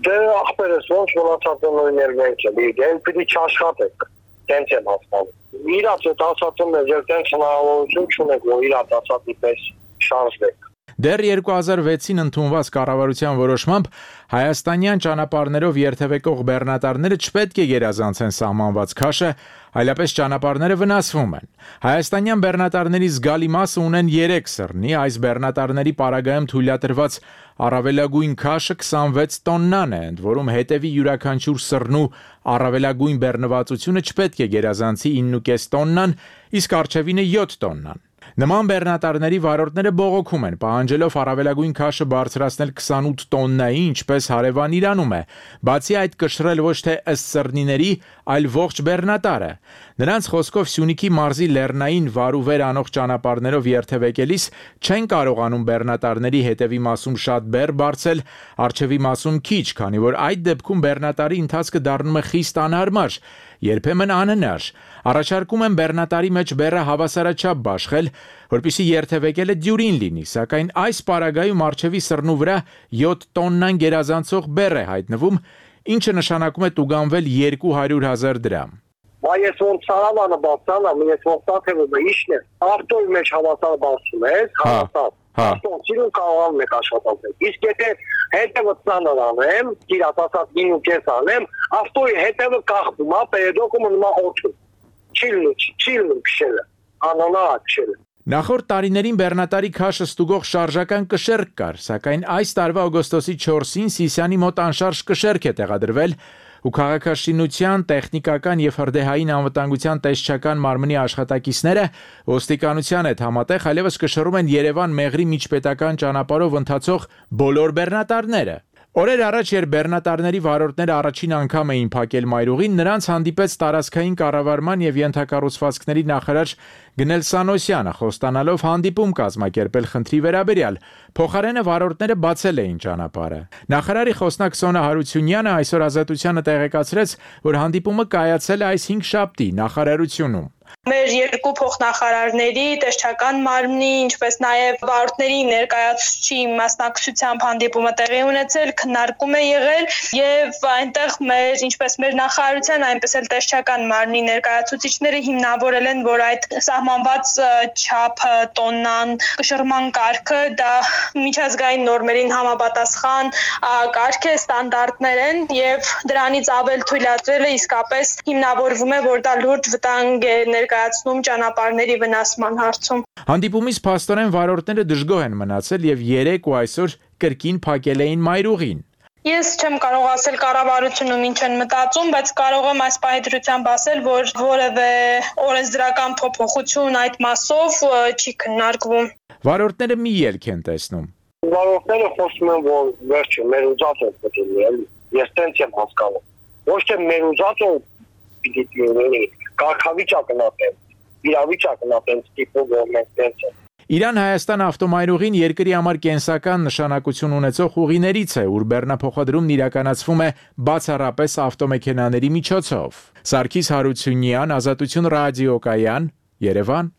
R: Դե ախպերս ոնց մնացած նույններ մենք էլ, դեն պիտի չաշխատեք, տենց եմ հասկանում։ Իրաց այդ ասածում ես, երբ տենց հնարավորություն չունեք, որ իրաց ասածի պես շարժվեք։
B: Դեռ երկու հազար վեցին ընդունված կառավարության որոշմամբ հայաստանյան ճանապարհներով երթևեկող բեռնատարները չպետք է գերազանցեն սահմանված քաշը, այլապես ճանապարհները վնասվում են։ Հայաստանյան բեռնատարների զգալի մասը ունեն երեք սռնի, այս բեռնատարների պարագայում թույլատրված առավելագույն քաշը քսանվեց տոննան է, ընդ որում հետևի յուրաքանչյուր սռնու առավելագույն բեռնվածությունը չպետք է գերազանցի ինը կես տոննան, իսկ առջևինը յոթ տոննան։ Նման բեռնատարների վարորդները բողոքում են, պահանջելով առավելագույն քաշը բարձրացնել քսանութ տոննայի, ինչպես հարևան Իրանում է, բացի այդ կշռել ոչ թե ըստ սռնիների, այլ ողջ բեռնատարը։ Նրանց խոսքով Սյունիքի մարզի լեռնային վարուվեր անող ճանապարհներով երթևեկելիս չեն կարողանում բեռնատարների հետևի մասում շատ բեռ բարձել, առջևի մասում քիչ, քանի որ այդ դեպքում բեռնատարի ընթացքը դառնում է խիստ անհարմար, երբեմն անհնար։ Առաջարկում են բեռնատարի մեջ բեռը հավասարաչափ բաշխել, որպեսզի երթևեկելը դյուրին լինի, սակայն այս պարագայում առջևի սռնու վրա յոթ տոննան գերազանցող բեռ է հայտնվում, ինչը նշանակում է տուգանվել երկու հարյուր հազար դրամ։
R: Բայց ես ոնց սարավանը բացանամ, ես ոնց տաթևը իշն է, ավտոյի մեջ հավասար բացում ես, հավասար։ Ավտոյին կարողանում եք աշխատել։ Իսկ եթե հետևը ծանր անեմ, իրաց ասած ինը կես անեմ, ավտոյի հետևը կախվում է, պերեդոկը մնում է օդում։ Չիլնու, չիլնու քշելը, անոնակ քշելը։
B: Նախորդ տարիներին բեռնատարի քաշը ստուգող շարժական կշեռք կար, սակայն այս տարվա օգոստոսի չորսին Սիսիանի մոտ անշարժ կշեռք է տեղադրվել ու քաղաքաշինության, տեխնիկական եւ հրդեհային անվտանգության տեսչական մարմնի աշխատակիցները ոստիկանության հետ համատեղ այլևս կշռում են Երևան-Մեղրի միջպետական ճանապարհով ընթացող բոլոր բեռնատարները։ Օրեր առաջ, երբ բեռնատարների վարորդները առաջին անգամ էին փակել մայրուղին, նրանց հանդիպեց տարածքային կառավարման եւ ենթակառուցվածքների նախարար Գնել Սանոսյանը, խոստանալով հանդիպում կազմակերպել խնդրի վերաբերյալ։ Փոխարենը վարորդները բացել էին ճանապարհը։ Նախարարի խոսնակ Սոնա Հարությունյանը այսօր Ազատությանը տեղեկացրեց, որ հանդիպումը կայացել է այս հինգշաբթի նախարարությունում։
S: Մեր երկու փոխնախարարների, տեսչական մարմնի, ինչպես նաև վարորդների ներկայացուցիչի մասնակցությամբ հանդիպումը տեղի ունեցել, քննարկում է եղել եւ այնտեղ մեր, ինչպես մեր նախարարության, այնպես էլ տեսչական մարմնի ներկայացուցիչները հիմնավորել են, որ այդ սահմանված չափը, տոննան, կշռման կարգը դա միջազգային նորմերին համապատասխան կարգ է, ստանդարտներ են եւ դրանից ավել թույլատրելը իսկապես հիմնավորվում է, որ դա լուրջ վտանգ է ներկայացուցիչ ներկայացնում ճանապարհների վնասման հարցում։
B: Հանդիպումից փաստորեն վարորդները դժգոհ են մնացել եւ երեք ու այսօր կրկին փակել էին մայրուղին։
S: Ես չեմ կարող ասել կառավարությունում ինչ են մտածում, բայց կարող եմ այս պահի դրությամբ ասել, որ որևէ օրենսդրական փոփոխություն այդ մասով չի քննարկվում։
B: Վարորդները մի ելք են տեսնում։
R: Վարորդները խոսում են, որ վերջը մեր ուզած է պետք է լինի։ Ես տենց եմ հասկանում։ Ոչ թե մեր ուզածը պիտի լինի, կարգավիճակն է տենց, իրավիճակն է տենց տիպով, որ մենք տենց ենք։
B: Իրան-Հայաստան ավտոմայրուղին երկրի համար կենսական նշանակություն ունեցող ուղիներից է, ուր բեռնափոխադրումն իրականացվում է բացառապես ավտոմեքենաների միջոցով։ Սարգիս Հարությունյան, Ազատություն ռադիոկայան, Երևան։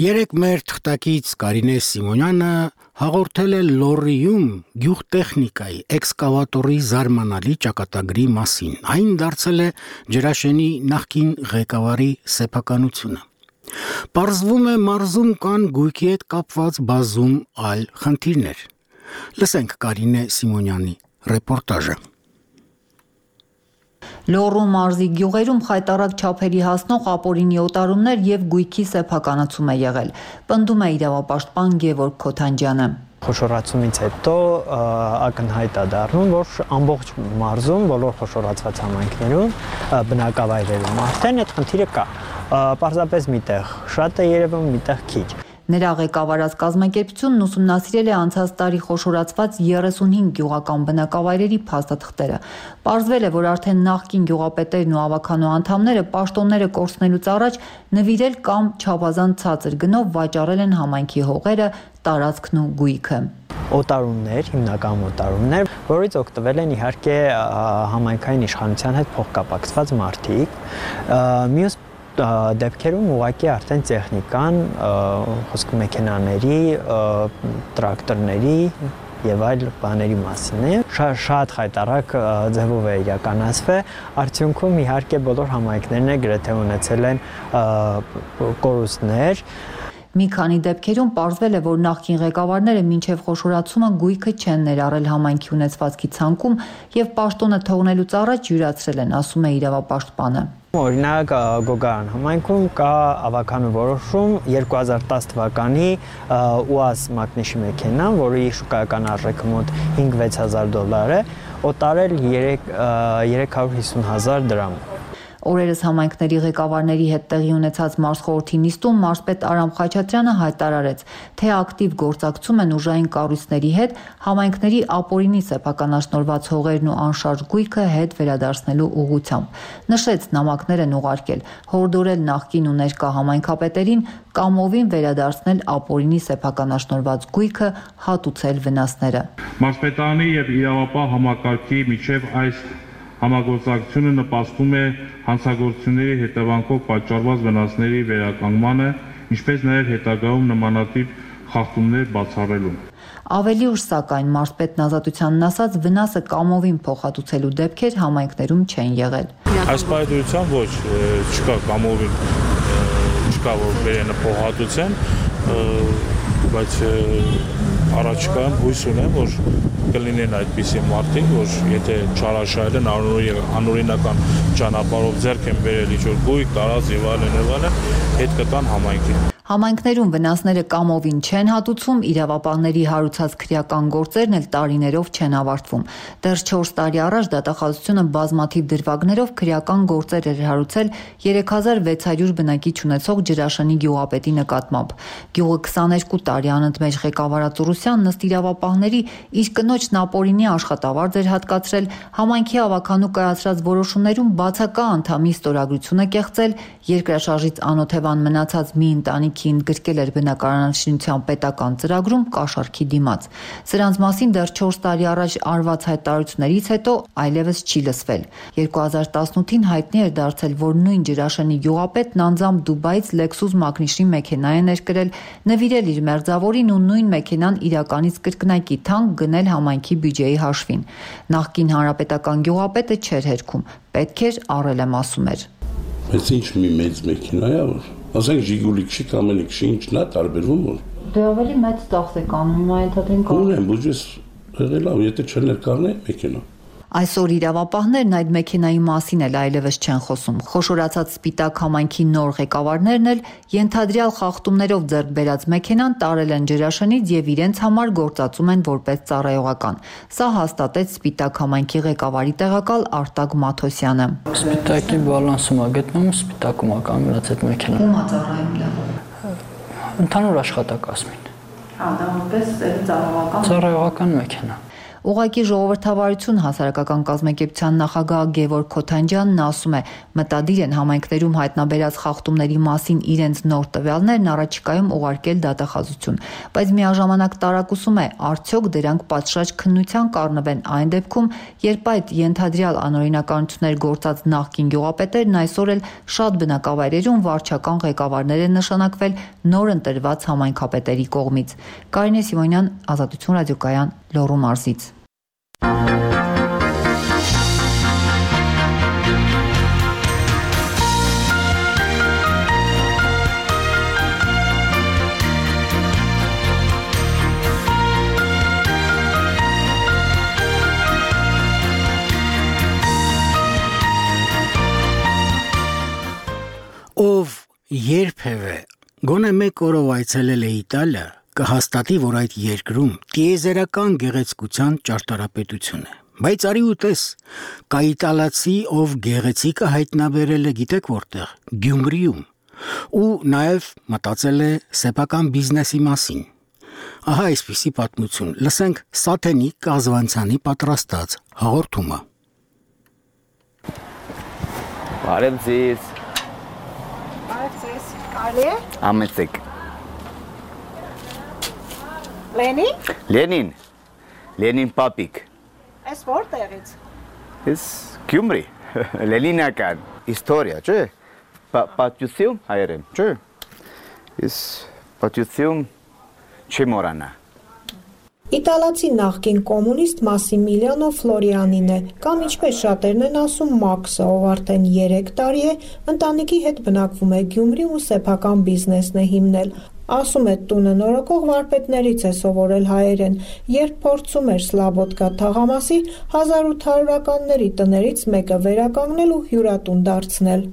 A: Երեք մեր թղթակից Կարինե Սիմոնյանը հաղորդել է Լոռիում գյուղտեխնիկայի էքսկավատորի զարմանալի ճակատագրի մասին։ Այն դարձել է Ջրաշենի նախկին ղեկավարի սեփականությունը։ Պարզվում է մարզում կան գույքի հետ կապված բազում այլ խնդիրներ։ Լսենք Կարինե Սիմոնյանի ռեպորտաժը։
T: Լոռու մարզի գյուղերում խայտառակ չափերի հասնող ապօրինի օտարումներ եւ գույքի սեփականացում է եղել, պնդում է իրավապաշտպան Գևորգ Քոթանջյանը։
U: Խոշորացումից հետո ակնհայտ է դառնում, որ ամբողջ մարզում, բոլոր խոշորացված համայնքներում, բնակավայրերում արդեն այդ խնդիրը կա։ Պարզապես միտեղ շատ է երևում, միտեղ քիչ։
T: Նրա ղեկավարած կազմակերպությունն ուսումնասիրել է անցած տարի խոշորացված երեսունհինգ գյուղական բնակավայրերի փաստաթղթերը։ Պարզվել է, որ արդեն նախկին գյուղապետերն ու ավականու անդամները պաշտոնները կորցնելուց առաջ նվիրել կամ չափազանց ցածր գնով վաճառել են համայնքի հողերը, տարածքն ու գույքը։
U: Օտարումներ, հիմնական օտարումներ, որից օգտվել են իհարկե համայնքային իշխանության հետ փոխկապակցված մարդիկ։ Մյուս դեպքերում ուղղակի արդեն տեխնիկան, խոսքը մեքենաների, տրակտորների եւ այլ բաների մասին է։ Շատ խայտառակ ձևով է իրականացվել, արդյունքում իհարկե բոլոր համայնքներն է գրեթե ունեցել են կորուստներ։
T: Մի քանի դեպքերում պարզվել է, որ նախկին ղեկավարները մինչև խոշորացումը գույքը չեն ներառել համայնքի ունեցվածքի ցանկում եւ պաշտոնը թողնելուց առաջ յուրացրել են, ասում է իրավապաշտպանը։
U: Օրինակ Գոգարան համայնքում կա ավականու որոշում երկու հազար տասը թվականի ՈՒԱԶ մակնիշի մեքենան, որի շուկայական արժեքը մոտ հինգ-վեց հազար դոլար է, օտարել երեք հարյուր հիսուն հազար դրամ։
T: Օրերս համայնքների ղեկավարների հետ տեղի ունեցած մարզխորհրդի նիստում մարզպետ Արամ Խաչատրյանը հայտարարեց, թե ակտիվ գործակցում են ուժային կառույցների հետ համայնքների ապօրինի սեփականաշնորհված հողերն ու անշարժ գույքը հետ վերադարձնելու ուղղությամբ։ Նշեց, նամակներ են ուղարկել, հորդորել նախկին ու ներկա համայնքապետերին կամովին վերադարձնել ապօրինի սեփականաշնորհված գույքը, հատուցել վնասները։
V: Մարզպետարանի եւ իրավապահ համակարգի միջև այս համագործակցությունը նպաստում է հանցագործությունների հետևանքով պատճառված վնասների վերականգնմանը, ինչպես նաև հետագայում նմանատիպ խախտումներ բացառելուն։
T: Ավելի ուշ սակայն մարզպետն Ազատությանն ասաց, վնասը կամովին փոխհատուցելու դեպքեր համայնքներում չեն եղել։
V: Այս պայմանությամբ ոչ, չկա կամովին, չկա որ վերենը փոխհատուցեն, բայց առաջիկայում հույս ունեմ, որ կլինեն այդպիսի մարդիկ, որ եթե չարաշահել են անօրինական ճանապարհով ձեռք են բերել ինչ-որ գույք, տարած եւ այլն եւ այլն, հետ կտան համայնքին։
T: Համայնքներում վնասները կամովին չեն հատուցում, իրավապահների հարուցած քրեական գործերն էլ տարիներով չեն ավարտվում։ Դեռ չորս տարի առաջ դատախազությունը բազմաթիվ դրվագներով քրեական գործեր էր հարուցել երեք հազար վեց հարյուր բնակիչ ունեցող Ջրաշենի գյուղապետի նկատմամբ։ Գյուղը քսաներկու տարի անընդմեջ ղեկավարած Ուրուսյանն ըստ իրավապահների իր կնոջն ապօրինի աշխատավարձ էր հատկացրել, համայնքի ավականու կայացրած որոշումներում բացակա անդամի ստորագրությունը կեղծել, երկրաշարժից անօթևան մնացած մի ընտանիքի համայնքի ընդգրկել էր բնակարանաշինության պետական ծրագրում կաշառքի դիմաց։ Սրանց մասին դեռ չորս տարի առաջ արված հայտարարություններից հետո այլևս չի լսվել։ երկու հազար տասնութին հայտնի էր դարձել, որ նույն Ջրաշենի գյուղապետն անձամբ Դուբայից Lexus մակնիշի մեքենա է ներկրել, նվիրել իր մերձավորին ու նույն մեքենան իրականից կրկնակի թանկ գնել համայնքի բյուջեի հաշվին։ Նախկին հանրապետական գյուղապետը չէր հերքում, պետք էր առել եմ ասում էր։
C: Բայց ինչ մի մեծ մեքենա է, որ ասենք Ժիգուլիկի կամ Էլիքսի ինչն է տարբերվում որ։
T: Դե ավելի մեծ ծախս է կանում, հիմա ենթադրենք։
C: Ունեմ, բյուջես եղել է, եթե չներկառնե մեքենա։
T: Այսօր իրավապահներն այդ մեքենայի մասին էլ այլևս չեն խոսում։ Խոշորացած սպիտակ համայնքի նոր ղեկավարներն էլ ենթադրյալ խախտումներով ձեռք բերած մեքենան տարել են Ջրաշենից եւ իրենց համար գործածում են որպես ծառայողական։ Սա հաստատեց սպիտակ համայնքի ղեկավարի տեղակալ Արտակ Մաթոսյանը։
D: Սպիտակի բալանսում է գտնվում, սպիտակում է կանգնած այդ մեքենան։
T: Ում է ծառայում դա։
D: Ընդհանուր աշխատակազմին։
T: Հա, դա որպես ծառայողական։
D: Ծառայողական մեքենա։
T: Ուղղակի ժողովրդավարություն հասարակական կազմակերպության նախագահ Գևորգ Քոթանջյանն ասում է, մտադիր են համայնքներում հայտնաբերած խախտումների մասին իրենց նոր տվյալներն առաջիկայում ուղարկել դատախազություն, բայց միաժամանակ տարակուսում է, արդյոք դրանք պատշաճ քննության կառնվեն այն դեպքում, երբ այդ ենթադրյալ անօրինականություններ գործած նախկին գյուղապետերն այսօր էլ շատ բնակավայրերում վարչական ղեկավարներ են նշանակվել նոր ընտրված համայնքապետերի կողմից։ Կարինե Սիմոնյան, Ազատություն ռադիոկայան, Լոռու մարզից։
A: Ով երբևէ գոնե մեկ օրով այցելել է Իտալիա, կհաստատի, որ այդ երկրում տիեզերական գեղեցկության ճարտարապետություն է։ Բայց արի ու տես, կա իտալացի, ով գեղեցիկը հայտնաբերել է գիտեք որտեղ, Գյումրիում, ու նաև մտածել է սեփական բիզնեսի մասին։ Ահա այսպիսի պատմություն, լսենք Սաթենիկ Կազվանցյանի պատրաստած հաղորդումը։
W: Բարև ձեզ։
X: Կարելի է։
W: Ամեցեք։
X: Լենին։
W: Լենին։ Լենին պապիկ։
X: Այս որտեղից։
W: Ես Գյումրի։ Լենինական իստորիա, չէ։ Պատյություն հայերեն, չէ։ Ես պատյություն չմորանա։
X: Իտալացի նախկին կոմունիստ Մասիմիլիանո Ֆլորիանին է, կամ ինչպես շատերն են ասում Մաքսը, ով արդեն երեք տարի է ընտանիքի հետ բնակվում է Գյումրիում ու սեփական բիզնեսն է հիմնել։ Ասում է տունը նորոգող վարպետներից է սովորել հայերեն, երբ փորձում էր Սլաբոդկա թաղամասի հազար ութ հարյուրականների տներից մեկը վերականգնել ու հյուրատուն դարձնել։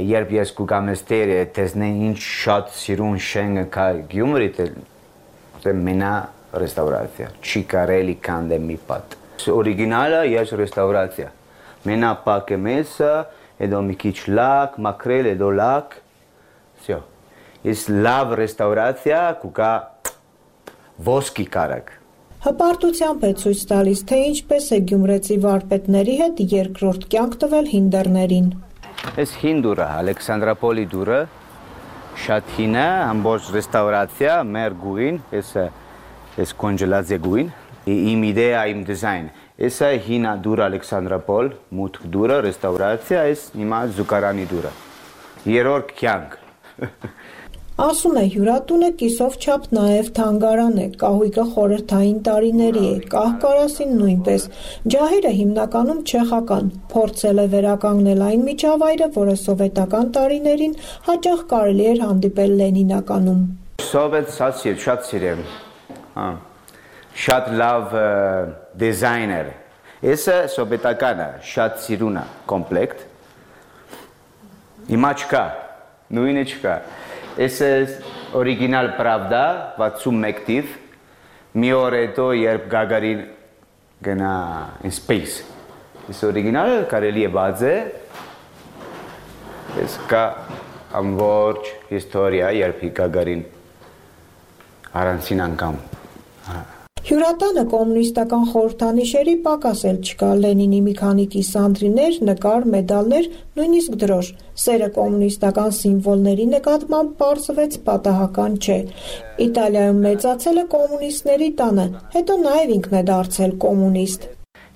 W: Երբ ես կուգամ էստեր, տեսնեն ինչ շատ սիրուն շենքը կա Գյումրի, թե մենա ռեստավրացիա, չի կարելի կանդե մի պատ։ Օրիգինալը ես ռեստավրացիա, մենա պակ է մեսը, հետո մի քիչ լակ, մաքրել, հետո լակ, սյո։ Ես լավ ռեստավրացիա կուկա ոսկի կարակ։
X: Հպարտությամբ է ցույց տալիս, թե ինչպես է գյումրեցի վարպետների հետ երկրորդ կյանք տվել հինդերներին։
W: Ես հին դուրը, Ալեքսանդրապոլի դուրը, շատ հին է, ամբողջ ռեստավրացիա, մեր գույն, ես Ես կոնջելացիա գույն, իմ իդեա, իմ դիզայն։ Եսա հինա դուր Ալեքսանդրապոլ, մուտք դուրը, ռեստավրացիա, ես հիմա զուգարանի դուրը։ Երորդ կյանք։
X: Ասում է հյուրատունը կիսով չափ նաև թանգարան է, կահույկը խորհրդային տարիների է, կահ-կարասին նույնպես։ Ջահերը հիմնականում չեխական, փորձել է վերականգնել այն միջավայրը, որը սովետական տարիներին հաճախ կարելի էր հանդիպել Լենինականում։
W: Սովետ շատ սիրեմ։ Շատ լավ դիզայներ։ Եսը սովետականը շատ սիրուն է, կոմպլեկտ։ Հիմա չկա, նույնը չկա։ Եսը օրիգինալ պրավդա, վաթսունմեկ թիվ, մի օր հետո երբ Գագարին գնա in space։ Ես օրիգինալը կարելի է բացե, ես կա ամբողջ հիստորիա, երբ Գագարին առանցին անգամ
X: Հյուրատանը կոմունիստական խորհրդանիշերի պակաս էլ չկա, Լենինի մի քանի կիսանդրիներ, նկար, մեդալներ, նույնիսկ դրոշ։ Սերը կոմունիստական սիմվոլների նկատմամբ պարզվեց պատահական չէ։ Իտալիայում մեծացել է կոմունիստների տանը, հետո նաև ինքն է դարձել կոմունիստ։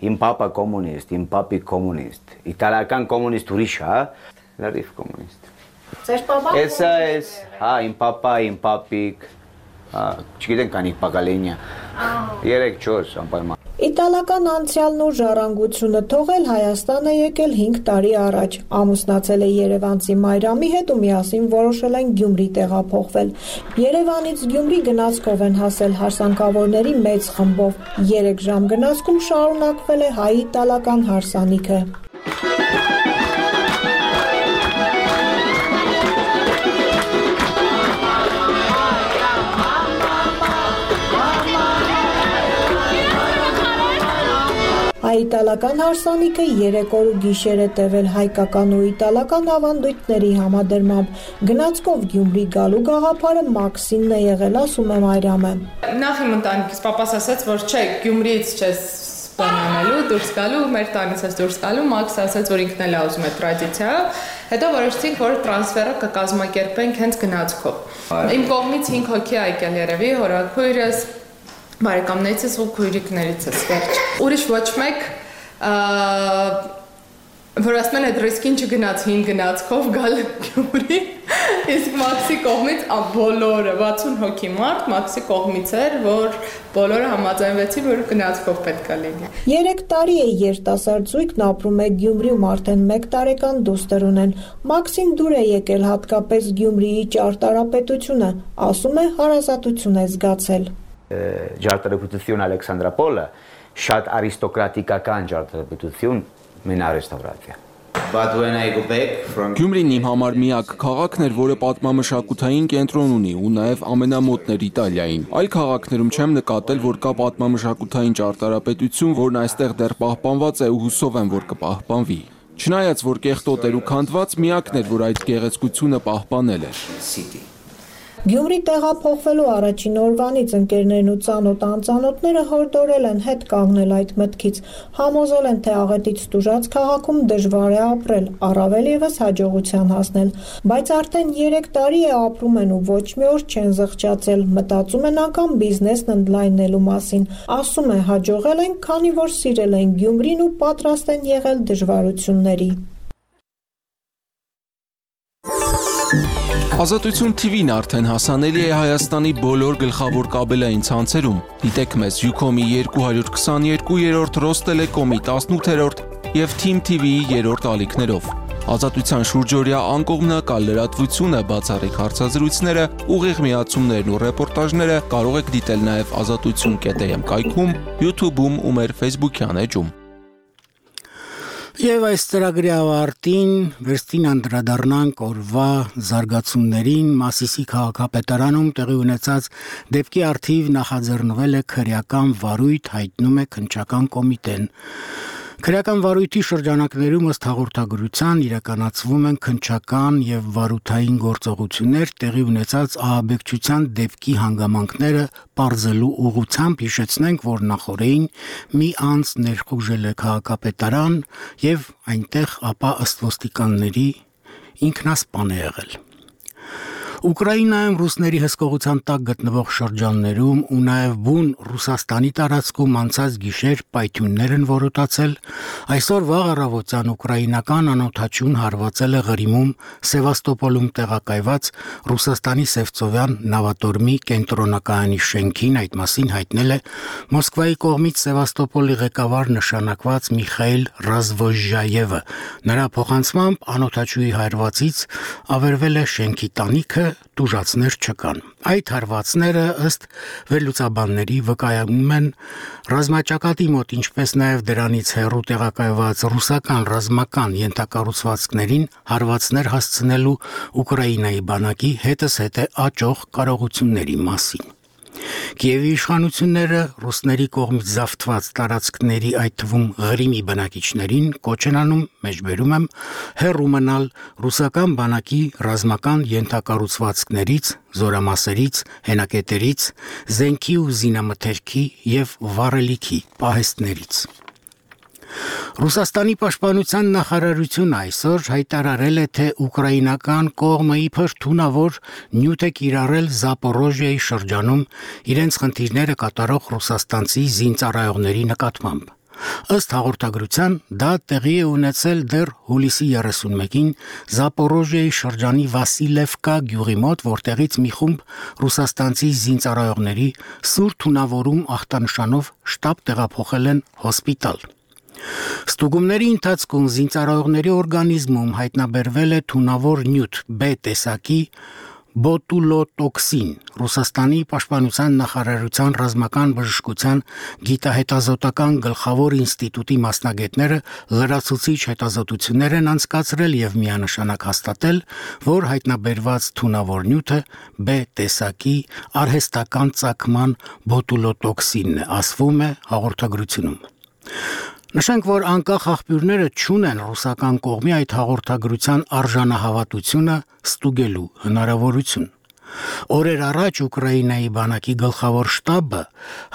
W: Իմ պապա կոմունիստ, իմ պապի կոմունիստ, իտալական կոմունիստ ուրիշ, հա, լրիվ կոմունիստ։
X: Ձեր պապա։
W: Էսա էս, հա, իմ պապա, իմ պապիկ, հա, չգիտեն կանիկ պակալենյա, երեք չորս անպայման։
X: Իտալական անցյալն ու ժառանգությունը թողել Հայաստան է եկել հինգ տարի առաջ, ամուսնացել է երևանցի Մայրամի հետ ու միասին որոշել են Գյումրի տեղափոխվել։ Երևանից Գյումրի գնացքով են հասել հարսանքավորների մեծ խմբով, երեք ժամ գնացքում շարունակվել է հայ-իտալական հարսանիքը։ Հայ-իտալական հարսանիքը երեք օր ու գիշեր է տևել հայկական ու իտալական ավանդույթների համադրմամբ։ Գնացքով Գյումրի գալու գաղափարը Մաքսինն է եղել, ասում է Մայրամը։
Q: Նախ իմ ընտանիքից պապաս ասաց, որ չէ, Գյումրիից չես բանանելու, դուրս գալու, մեր տանից ես դուրս գալու, Մաքսը ասաց, որ ինքն էլ է ուզում է տրադիցիա, հետո որոշեցինք, որ տրանսֆերը կկազմակերպենք հենց գնացքով։ Իմ կողմից հինգ հոգի է եկել երևի, հորաքույրս, բարեկամներիցս ու քույրիկներիցս վերջ։ Ուրիշ ոչ մեկ, որ ասում են այդ ռիսկին չգնաց հին գնացքով գալ Գյումրի, իսկ Մաքսի կողմից բոլորը, վաթսուն հոգի մարդ Մաքսի կողմից էր, որ բոլորը համաձայնվեցին, որ գնացքով պետք է լինի։
X: Երեք տարի է երիտասարդ զույգն ապրում է Գյումրիում, արդեն մեկ տարեկան դուստր ունեն։ Մաքսին դուր է եկել հատկապես Գյումրիի ճարտարապետությունը, ասում է հարազատություն է զգացել։
W: Ջարտարապետություն Ալեքսանդրապոլը շատ արիստոկրատիկական ջարտարապետություն մենա ռեստավրացիա։
F: Գյումրին իմ համար միակ քաղաքն էր, որը պատմամշակութային կենտրոն ունի ու նաև ամենամոտն էր Իտալիային։ Այլ քաղաքներում չեմ նկատել, որ կա պատմամշակութային ճարտարապետություն, որն այստեղ դեռ պահպանված է ու հուսով եմ, որ կպահպանվի։ Չնայած որ կեղտոտ էր ու քանդված, միակն էր, որ այդ գեղեցկությունը պահպանել էր։
X: Գյումրի տեղափոխվելու առաջին օրվանից ընկերներն ու ծանոթ անծանոթները հորդորել են հետ կանգնել այդ մտքից, համոզել են, թե աղետից տուժած քաղաքում դժվար է ապրել, առավել ևս հաջողության հասնել, բայց արդեն երեք տարի է ապրում են ու ոչ մի օր չեն զղջացել, մտածում են անգամ բիզնեսն ընդլայնելու մասին, ասում է հաջողել են, քանի որ սիրել են Գյումրին ու պատրաստ են եղել դժվարությունների։
F: Ազատություն Թի Վին արդեն հասանելի է Հայաստանի բոլոր գլխավոր կաբելային ցանցերում։ Դիտեք մեզ Յուքոմի երկու հարյուր քսաներկու, Ռոստելեկոմի տասնութերորդ և Թիմ Թի Վիի երրորդ ալիքներով։ Ազատության շուրջօրյա անկողմնակալ լրատվությունը, բացառիկ հարցազրույցները, ուղիղ միացումներն ու ռեպորտաժները կարող եք դիտել նաև ազատություն կետ էմ կայքում, յութուբում ու մեր ֆեյսբուքյան էջում։
A: Եվ այս ծրագրի ավարտին վերստին անդրադառնանք օրվա զարգացումներին Մասիսի քաղաքապետարանում տեղի ունեցած դեպքի առթիվ նախաձեռնվել է քրեական վարույթ, հայտնում է քննչական կոմիտեն։ Քրեական վարույթի շրջանակներում ըստ հաղորդագրության իրականացվում են քննչական եւ վարութային գործողություններ տեղի ունեցած ահաբեկչության դեպքի հանգամանքները պարզելու ուղղությամբ հիշեցնենք, որ նախորդին մի անձ ներխուժել է քաղաքապետարան եւ այնտեղ ապա ըստ ոստիկանների ինքնասպան է եղել։ Ուկրաինայում ռուսների հսկողության տակ գտնվող շրջաններում ու նաև բուն Ռուսաստանի տարածքում անցած գիշեր պայթյուններ են որոտացել, այսօր վաղ առավոտյան ուկրաինական անօդաչուն հարվածել է Ղրիմում Սևաստոպոլում տեղակայված Ռուսաստանի Սևծովյան նավատորմի կենտրոնակայանի շենքին, այդ մասին հայտնել է Մոսկվայի կողմից Սևաստոպոլի ղեկավար նշանակված Միխայիլ Ռազվոժայևը։ Նրա փոխանցմամբ անօդաչուի հարվածից ավերվել է շենքի տանիքը, տուժածներ չկան։ Այդ հարվածները ըստ վերլուծաբանների վկայում են ռազմաճակատի մոտ, ինչպես նաև դրանից հեռու տեղակայված ռուսական ռազմական ենթակառուցվածքներին հարվածներ հասցնելու Ուկրաինայի բանակի հետզհետե աճող կարողությունների մասին։ Կիևի իշխանությունները ռուսների կողմից զավթված տարածքների, այդ թվում Ղրիմի բնակիչներին կոչ են անում, մեջբերում եմ, հեռու մնալ ռուսական բանակի ռազմական ենթակառուցվածքներից, զորամասերից, հենակետերից, զենքի ու զինամթերքի եւ վառելիքի պահեստներից։ Ռուսաստանի պաշտպանության նախարարությունը այսօր հայտարարել է, թե ուկրաինական կողմը իբր թունավոր նյութ է կիրառել Զապորոժիայի շրջանում իրենց խնդիրները կատարող ռուսաստանցի զինծառայողների նկատմամբ։ Ըստ հաղորդագրության, դա տեղի է ունեցել դեռ հուլիսի երեսունմեկին Զապորոժիայի շրջանի Վասիլևկա գյուղի մոտ, որտեղից մի խումբ ռուսաստանցի զինծառայողների սուր թունավորում ախտանշանով շտաբ տեղափոխել են հոսպիտալ։ Ստուգումների ընթացքում զինծառայողների օրգանիզմում հայտնաբերվել է թունավոր նյութ B տեսակի բոտուլոտոքսին։ Ռուսաստանի պաշտպանության նախարարության ռազմական բժշկության գիտահետազոտական գլխավոր ինստիտուտի մասնագետները լրացուցիչ հետազոտություններ են անցկացրել եւ միանշանակ հաստատել, որ հայտնաբերված թունավոր նյութը B տեսակի արհեստական ծագման բոտուլոտոքսինն է, ասվում է հաղորդագրությունում։ Նշենք, որ անկախ աղբյուրները չունեն ռուսական կողմի այդ հաղորդագրության արժանահավատությունը ստուգելու հնարավորություն։ Օրեր առաջ Ուկրաինայի բանակի գլխավոր շտաբը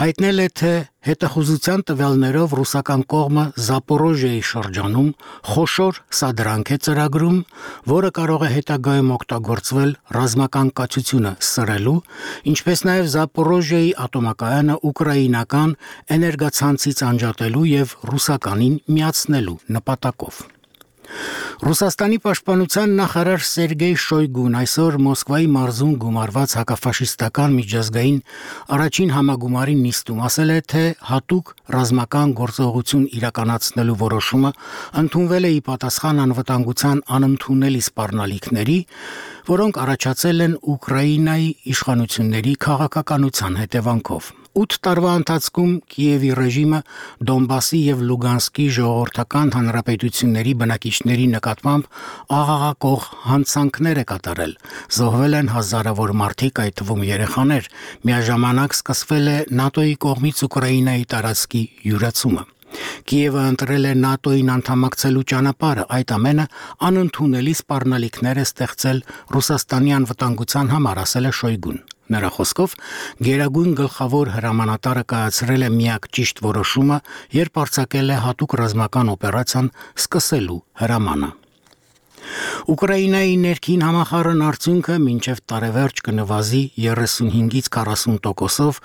A: հայտնել է, թե հետախուզության տվյալներով ռուսական կողմը Զապորոժիայի շրջանում խոշոր սադրանք է ծրագրում, որը կարող է հետագայում օգտագործվել ռազմական կացությունը սրելու, ինչպես նաև Զապորոժիայի ատոմակայանը ուկրաինական էներգացանցից անջատելու եւ ռուսականին միացնելու նպատակով։ Ռուսաստանի պաշտպանության նախարար Սերգեյ Շոյգուն այսօր Մոսկվայի մարզում գումարված հակաֆաշիստական միջազգային առաջին համագումարի նիստում ասել է, թե հատուկ ռազմական գործողություն իրականացնելու որոշումը ընդունվել է ի պատասխան անվտանգության անընդունելի սպառնալիքների, որոնք առաջացել են Ուկրաինայի իշխանությունների քաղաքականության հետևանքով։ ութ տարվա ընթացքում Կիևի ռեժիմը Դոնբասի եւ Լուգանսկի ժողովրդական հանրապետությունների բնակիչների նկատմամբ աղաղակող հանցանքներ է կատարել։ Զոհվել են հազարավոր մարդիկ, այդ թվում երեխաներ։ Միաժամանակ սկսվել է ՆԱՏՕ-ի կողմից Ուկրաինայի տարածքի յուրացումը։ Կիևը ընտրել է ՆԱՏՕ-ին անդամակցելու ճանապարհը, այդ ամենը անընդունելի սպառնալիքներ է ստեղծել Ռուսաստանի անվտանգության համար, ասել է Շոյգուն։ Նրա խոսքով Գերագույն գլխավոր հրամանատարը կայացրել է միակ ճիշտ որոշումը, երբ արձակել է հատուկ ռազմական օպերացիան սկսելու հրամանը։ Ուկրաինայի ներքին համախառն արդյունքը մինչև տարեվերջ կնվազի երեսունհինգից քառասուն տոկոսով,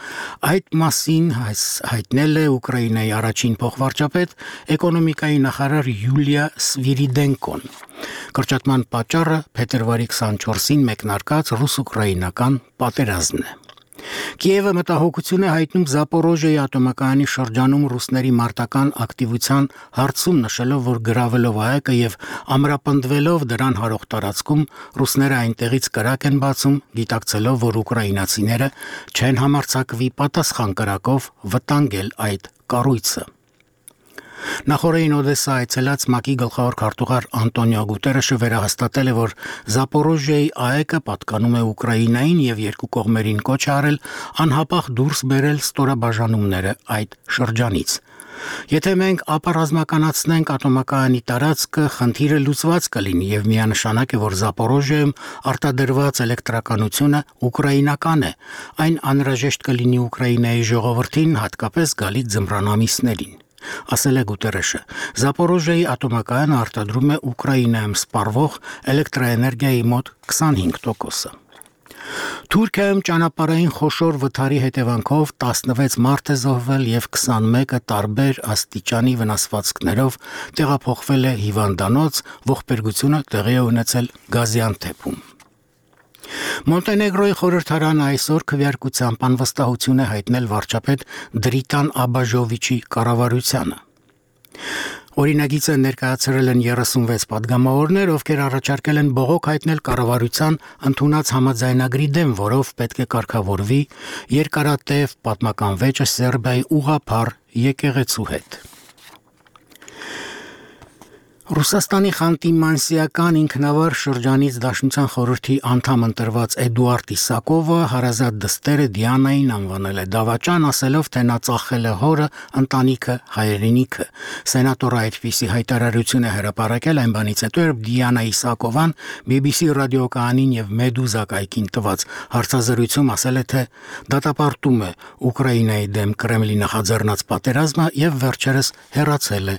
A: այդ մասին հայտնել է Ուկրաինայի առաջին փոխվարչապետ, էկոնոմիկայի նախարար Յուլիա Սվիրիդենկոն։ Կրճատման պատճառը փետրվարի քսանչորսին մեկնարկած ռուս-ուկրաինական պատերազմն է։ Կիևը մտահոգություն է հայտնում Զապորոժիայի ատոմակայանի շրջանում ռուսների մարտական ակտիվության հարցում, նշելով, որ գրավելով ԱԵԿ-ը եւ ամրապնդվելով դրան հարող տարածքում ռուսները այնտեղից կրակ են բացում, գիտակցելով, որ ուկրաինացիները չեն համարձակվի պատասխան կրակով վտանգել այդ կառույցը։ Նախորդին Օդեսա այցելած ՄԱԿ-ի գլխավոր քարտուղար Անտոնիո Գուտերեշը վերահաստատել է, որ Զապորոժիայի ԱԵԿ-ը պատկանում է Ուկրաինային եւ երկու կողմերին կոչ է արել անհապաղ դուրս բերել ստորաբաժանումները այդ շրջանից։ Եթե մենք ապառազմականացնենք ատոմակայանի տարածքը, խնդիրը լուծված կլինի եւ միանշանակ է, որ Զապորոժիայում արտադրված էլեկտրականությունը ուկրաինական է։ Այն անհրաժեշտ կլինի Ուկրաինայի ժողովրդին, հատկապես գալիք ձմռան ամիսներին, ասել է Գուտերեշը։ Զապորոժիայի ատոմակայանը արտադրում է Ուկրաինայում սպառվող էլեկտրաէներգիայի մոտ քսանհինգ տոկոսը։ Թուրքիայում ճանապարհային խոշոր վթարի հետևանքով տասնվեց մարդ է զոհվել եւ քսանմեկը տարբեր աստիճանի վնասվածքներով տեղափոխվել է հիվանդանոց, ողբերգությունը տեղի է ունեցել Գազիանթեփում։ Մոնտենեգրոյի խորհրդարանը այսօր քվեարկությամբ անվստահություն է հայտնել վարչապետ Դրիտան Աբաժովիչի կառավարությանը։ Օրինագիծը ներկայացրել են երեսունվեց պատգամավորներ, ովքեր առաջարկել են բողոք հայտնել կառավարության ընդունած համաձայնագրի դեմ, որով պետք է կարգավորվի երկարատև պատմական վեճը Սերբիայի ուղղափառ եկեղեցու հետ։ Ռուսաստանի Խանտի-Մանսիական ինքնավար շրջանից Դաշնության խորհրդի անդամ ընտրված Էդուարդ Իսակովը հարազատ դստերը Դիանային անվանել է դավաճան, ասելով, թե նա ծախել է հորը, ընտանիքը, հայրենիքը։ Սենատորը այդպիսի հայտարարություն է հրապարակել այն բանից հետո, երբ Դիանա Իսակովան բի բի սի ռադիոկայանին եւ Մեդուզա կայքին տված հարցազրույցում ասել է, թե դատապարտում է Ուկրաինայի դեմ Կրեմլի նախաձեռնած պատերազմը եւ վերջերս հեռացել է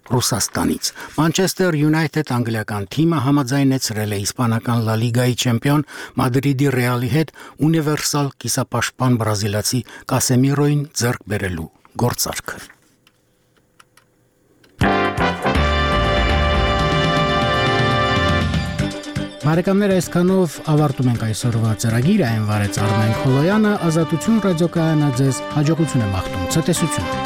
A: Ռուսաստանից։ Մանչեսթեր Յունայթեդ անգլիական թիմը համաձայնեցրել է իսպանական Լա Լիգայի չեմպիոն Մադրիդի Ռեալի հետ ունիվերսալ կիսապաշտպան բրազիլացի Կասեմիրոին ձեռք բերելու գործարքը։ Բարեկամներ, այսքանով ավարտում ենք այսօրվա ծրագիրը, այն վարեց Արմեն Խոլոյանը, Ազատություն ռադիոկայանը ձեզ հաջողություն է մաղթում, ցտեսություն։